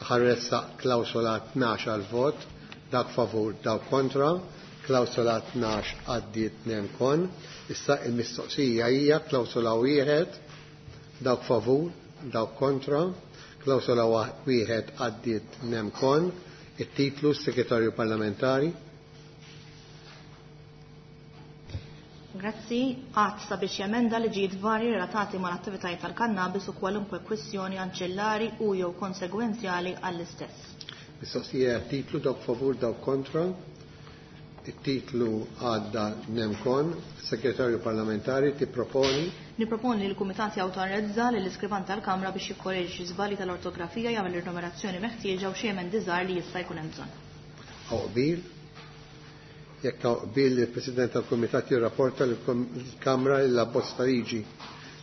ħa nressaq klawsola tnax għal vot, dak favur, dak kontra, klawsola tnax għaddiet nemkon. Issa il-mistoqsija hija klawsola wieħed, dawk favur, dawk kontra, klawsola wieħed għaddiet nemkon, it-titlu Segretarju Parlamentari. Grazzi, għad sabiex jemenda liġijiet varji relatati mal-attivitajiet tal-kannabis u kwalunkwe kwistjoni anċillari u jew konsegwenzjali għall-istess. Mistoqsija titlu dawk favur, dawk kontra. It-titlu għadda nemkon, Segretarju Parlamentari tipproponi. Niproponi li l-Kumitat jawtorizza lill iskrivan tal-Kamra biex jikkoreġi xi żbalji tal-ortografija, jagħmel ir-numerazzjoni meħtieġa u xi emendi żgħar li jista' jkun hemm bżonn. Hawn qbil? Jekk hawn qbil, il-President tal-Kumitat jirrapporta lill-Kamra li l-abbozz ta' liġi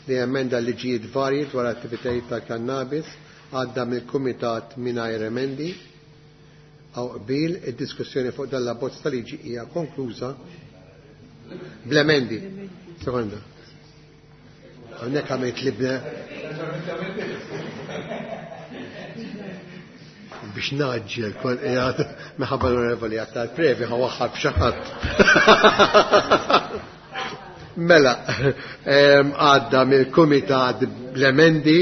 li emenda liġijiet varji dwar attivitajiet tal-kannabis għadda mill-Kumitat mingħajr emendi. Hawn qbil, id-diskussjoni fuq dan l-abbozz ta' liġi hija konkluża bl-emendi. Sekonda. Hawnhekk għamilt li bne biex naġġel kont qiegħed minħabba l-onorevoli għat tal-previ ħa waħħal b'xi ħadd. Mela, għadda mill-Kumitat bl-emendi,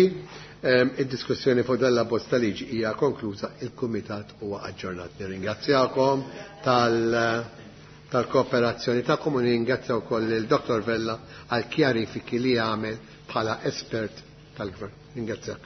id-diskussjoni fuq dan l-abbozz ta' liġi hija konkluża, il-Kumitat huwa aġġornat. Nirringrazzjakom tal-kooperazzjoni tagħkom u nirringrazzja wkoll lil Dottor Vella għal kjarifiki li għamel bħala espert tal-Gvern. Ringrazzjak.